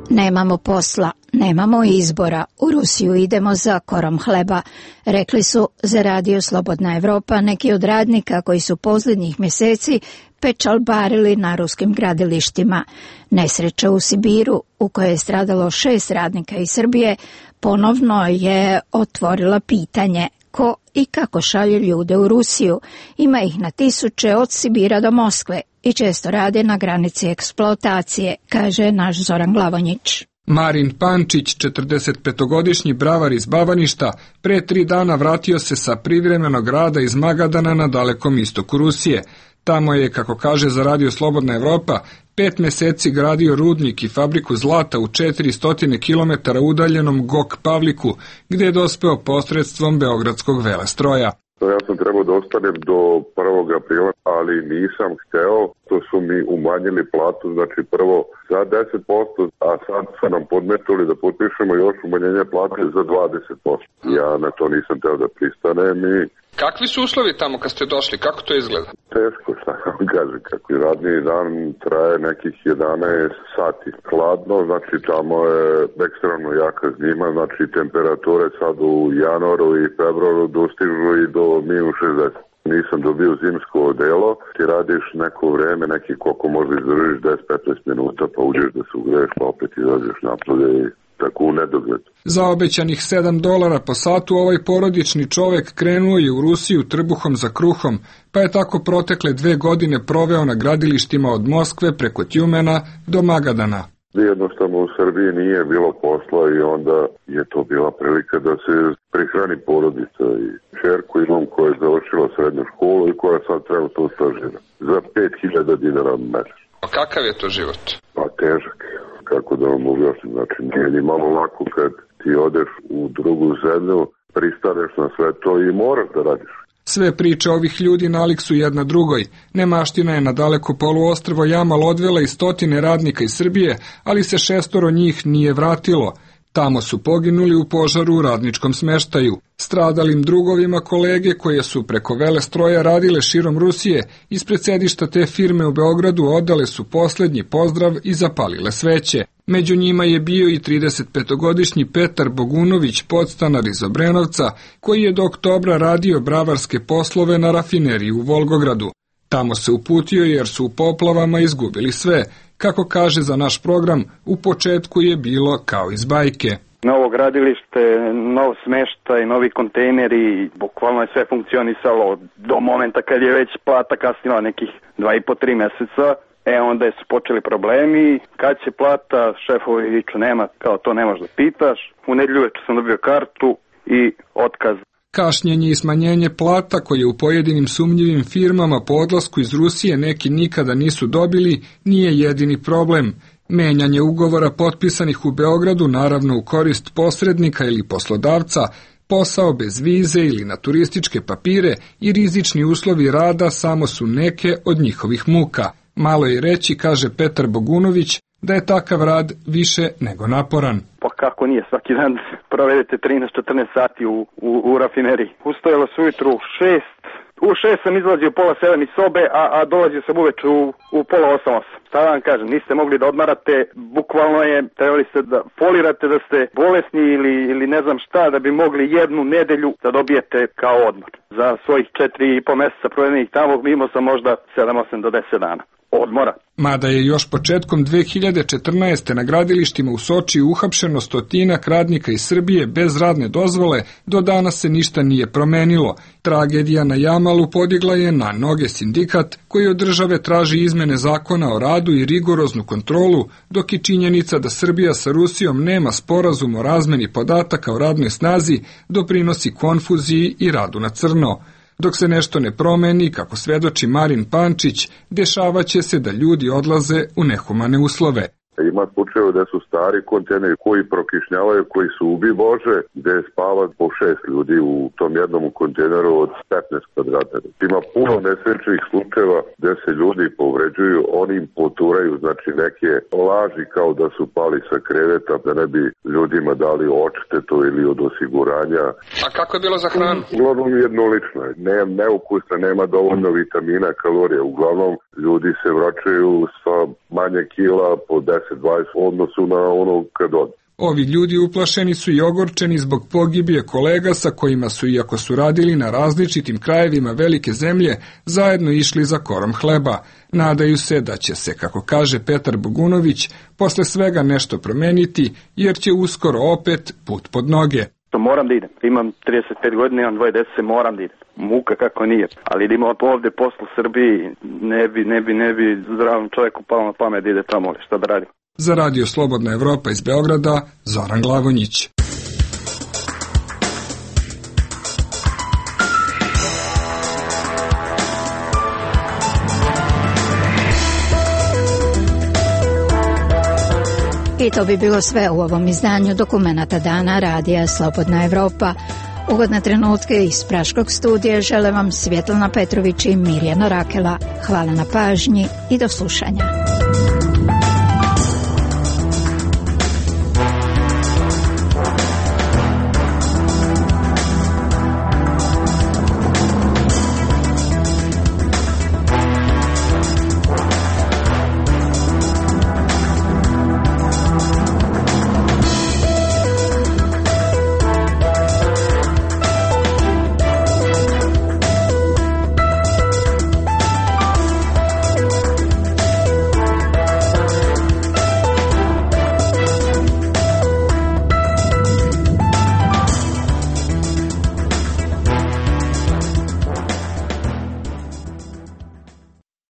Nemamo posla, nemamo izbora, u Rusiju idemo za korom hleba, rekli su za Radio Slobodna Evropa neki od radnika koji su posljednjih mjeseci pečalbarili na ruskim gradilištima. Nesreća u Sibiru, u kojoj je stradalo šest radnika iz Srbije, ponovno je otvorila pitanje ko i kako šalju ljude u Rusiju. Ima ih na tisuće od Sibira do Moskve i često rade na granici eksploatacije, kaže naš Zoran Glavonjić. Marin Pančić, četrdesetpetogodišnji bravar iz Bavaništa, pre tri dana vratio se sa privremenog rada iz Magadana na dalekom istoku Rusije. Tamo je, kako kaže za Radio Slobodna Evropa, pet mjeseci gradio rudnik i fabriku zlata u četiristo kilometara udaljenom Gok Pavliku, gdje je dospeo posredstvom Beogradskog velestroja. Ja sam trebao da ostanem do prvog aprila, ali nisam hteo, to su mi umanjili platu, znači prvo za deset posto, a sad su nam podmetuli da potpišemo još umanjenje plate za dvadeset posto. Ja na to nisam teo da pristanem i... Kakvi su uslovi tamo kad ste došli, kako to izgleda? teško, šta vam kaže, kako i radni dan traje nekih jedanaest sati. Hladno, znači tamo je ekstremno jaka zima, znači temperature sad u januaru i februaru dostižu i do minus šezdeset. Nisam dobio zimsko odelo, ti radiš neko vreme, neki koliko možda izdržiš deset do petnaest minuta, pa uđeš da se ugreješ, pa opet izađeš napolje i tako u nedogled. Za obećanih sedam dolara po satu ovaj porodični čovek krenuo je u Rusiju trbuhom za kruhom, pa je tako protekle dve godine proveo na gradilištima od Moskve preko Tjumena do Magadana. Jednostavno u Srbiji nije bilo posla i onda je to bila prilika da se prihrani porodica i čerku imam koja je završila srednju školu i koja sad trenutno stažira za pet hiljada dinara mesečno. A kakav je to život? Pa težak. Kako da vam objasnim, znači nije ni malo lako kad ti odeš u drugu zemlju, pristaneš na sve to i moraš da radiš. Sve priče ovih ljudi nalik su jedna drugoj. Nemaština je na daleko poluostrvo Jamal odvela i stotine radnika iz Srbije, ali se šestoro njih nije vratilo. Tamo su poginuli u požaru u radničkom smeštaju. Stradalim drugovima kolege koje su preko Velestroja radile širom Rusije, ispred sedišta te firme u Beogradu odale su poslednji pozdrav i zapalile sveće. Među njima je bio i tridesetpetogodišnji Petar Bogunović, podstanar iz Obrenovca, koji je do oktobra radio bravarske poslove na rafineriji u Volgogradu. Tamo se uputio jer su u poplavama izgubili sve. Kako kaže za naš program, u početku je bilo kao iz bajke. Novo gradilište, nov smeštaj, novi kontejneri, bukvalno je sve funkcionisalo do momenta kad je već plata kasnila nekih dva i po tri meseca. E onda su počeli problemi, kad će plata, šefovi viču nema, kao to ne možeš da pitaš. U nedjelju večer sam dobio kartu i otkaz. Kašnjenje i smanjenje plata koje u pojedinim sumnjivim firmama po odlasku iz Rusije neki nikada nisu dobili, nije jedini problem. Menjanje ugovora potpisanih u Beogradu, naravno u korist posrednika ili poslodavca, posao bez vize ili na turističke papire i rizični uslovi rada samo su neke od njihovih muka. Malo je reći, kaže Petar Bogunović, da je takav rad više nego naporan. Pa kako nije, svaki dan provedete trinaest do četrnaest sati u, u, u rafineriji. Ustajalo se ujutru u šest, u šest sam izlazio pola sedam iz sobe, a, a dolazio sam uveč u, u pola osam osam. Šta vam kažem, niste mogli da odmarate, bukvalno je, trebali ste da folirate da ste bolesni ili, ili ne znam šta, da bi mogli jednu nedelju da dobijete kao odmor. Za svojih četiri i po meseca provedenih tamo imao sam možda sedam osam do deset dana odmora. Mada je još početkom dve hiljade četrnaeste. na gradilištima u Sočiju uhapšeno stotinak radnika iz Srbije bez radne dozvole, do danas se ništa nije promenilo. Tragedija na Jamalu podigla je na noge sindikat koji od države traži izmene zakona o radu i rigoroznu kontrolu, dok je činjenica da Srbija sa Rusijom nema sporazum o razmeni podataka o radnoj snazi doprinosi konfuziji i radu na crno. Dok se nešto ne promeni, kako svedoči Marin Pančić, dešavaće se da ljudi odlaze u nehumane uslove. Ima slučajeva da su stari kontejneri koji prokišnjavaju, koji su ubi Bože, gde spava po šest ljudi u tom jednom kontejneru od petnaest kvadrata. Ima puno nesrećnih slučajeva gde se ljudi povređuju, oni im poturaju, znači neke laži kao da su pali sa kreveta, da ne bi ljudima dali odštetu ili od osiguranja. A kako je bilo za hranu? Uglavnom jednolično je. Ne, neukusna, nema dovoljno vitamina, kalorija. Uglavnom ljudi se vraćaju sa manje kila po deset dvadeset odnosu na ono kad od. Ovi ljudi uplašeni su i ogorčeni zbog pogibije kolega sa kojima su, iako su radili na različitim krajevima velike zemlje, zajedno išli za korom hleba. Nadaju se da će se, kako kaže Petar Bogunović, posle svega nešto promeniti, jer će uskoro opet put pod noge. Moram da idem. Imam trideset pet godina, imam dvoje dece, moram da idem. Muka kako nije. Ali da ima ovde poslu u Srbiji, ne bi, ne bi, ne bi zdravom čovjeku palo na pamet da ide tamo, šta da radim. Za Radio Slobodna Evropa iz Beograda, Zoran Glavonjić. I to bi bilo sve u ovom izdanju Dokumenata dana Radija Slobodna Evropa. Ugodne trenutke iz Praškog studija žele vam Svjetlana Petrović i Mirjana Rakela. Hvala na pažnji i do slušanja.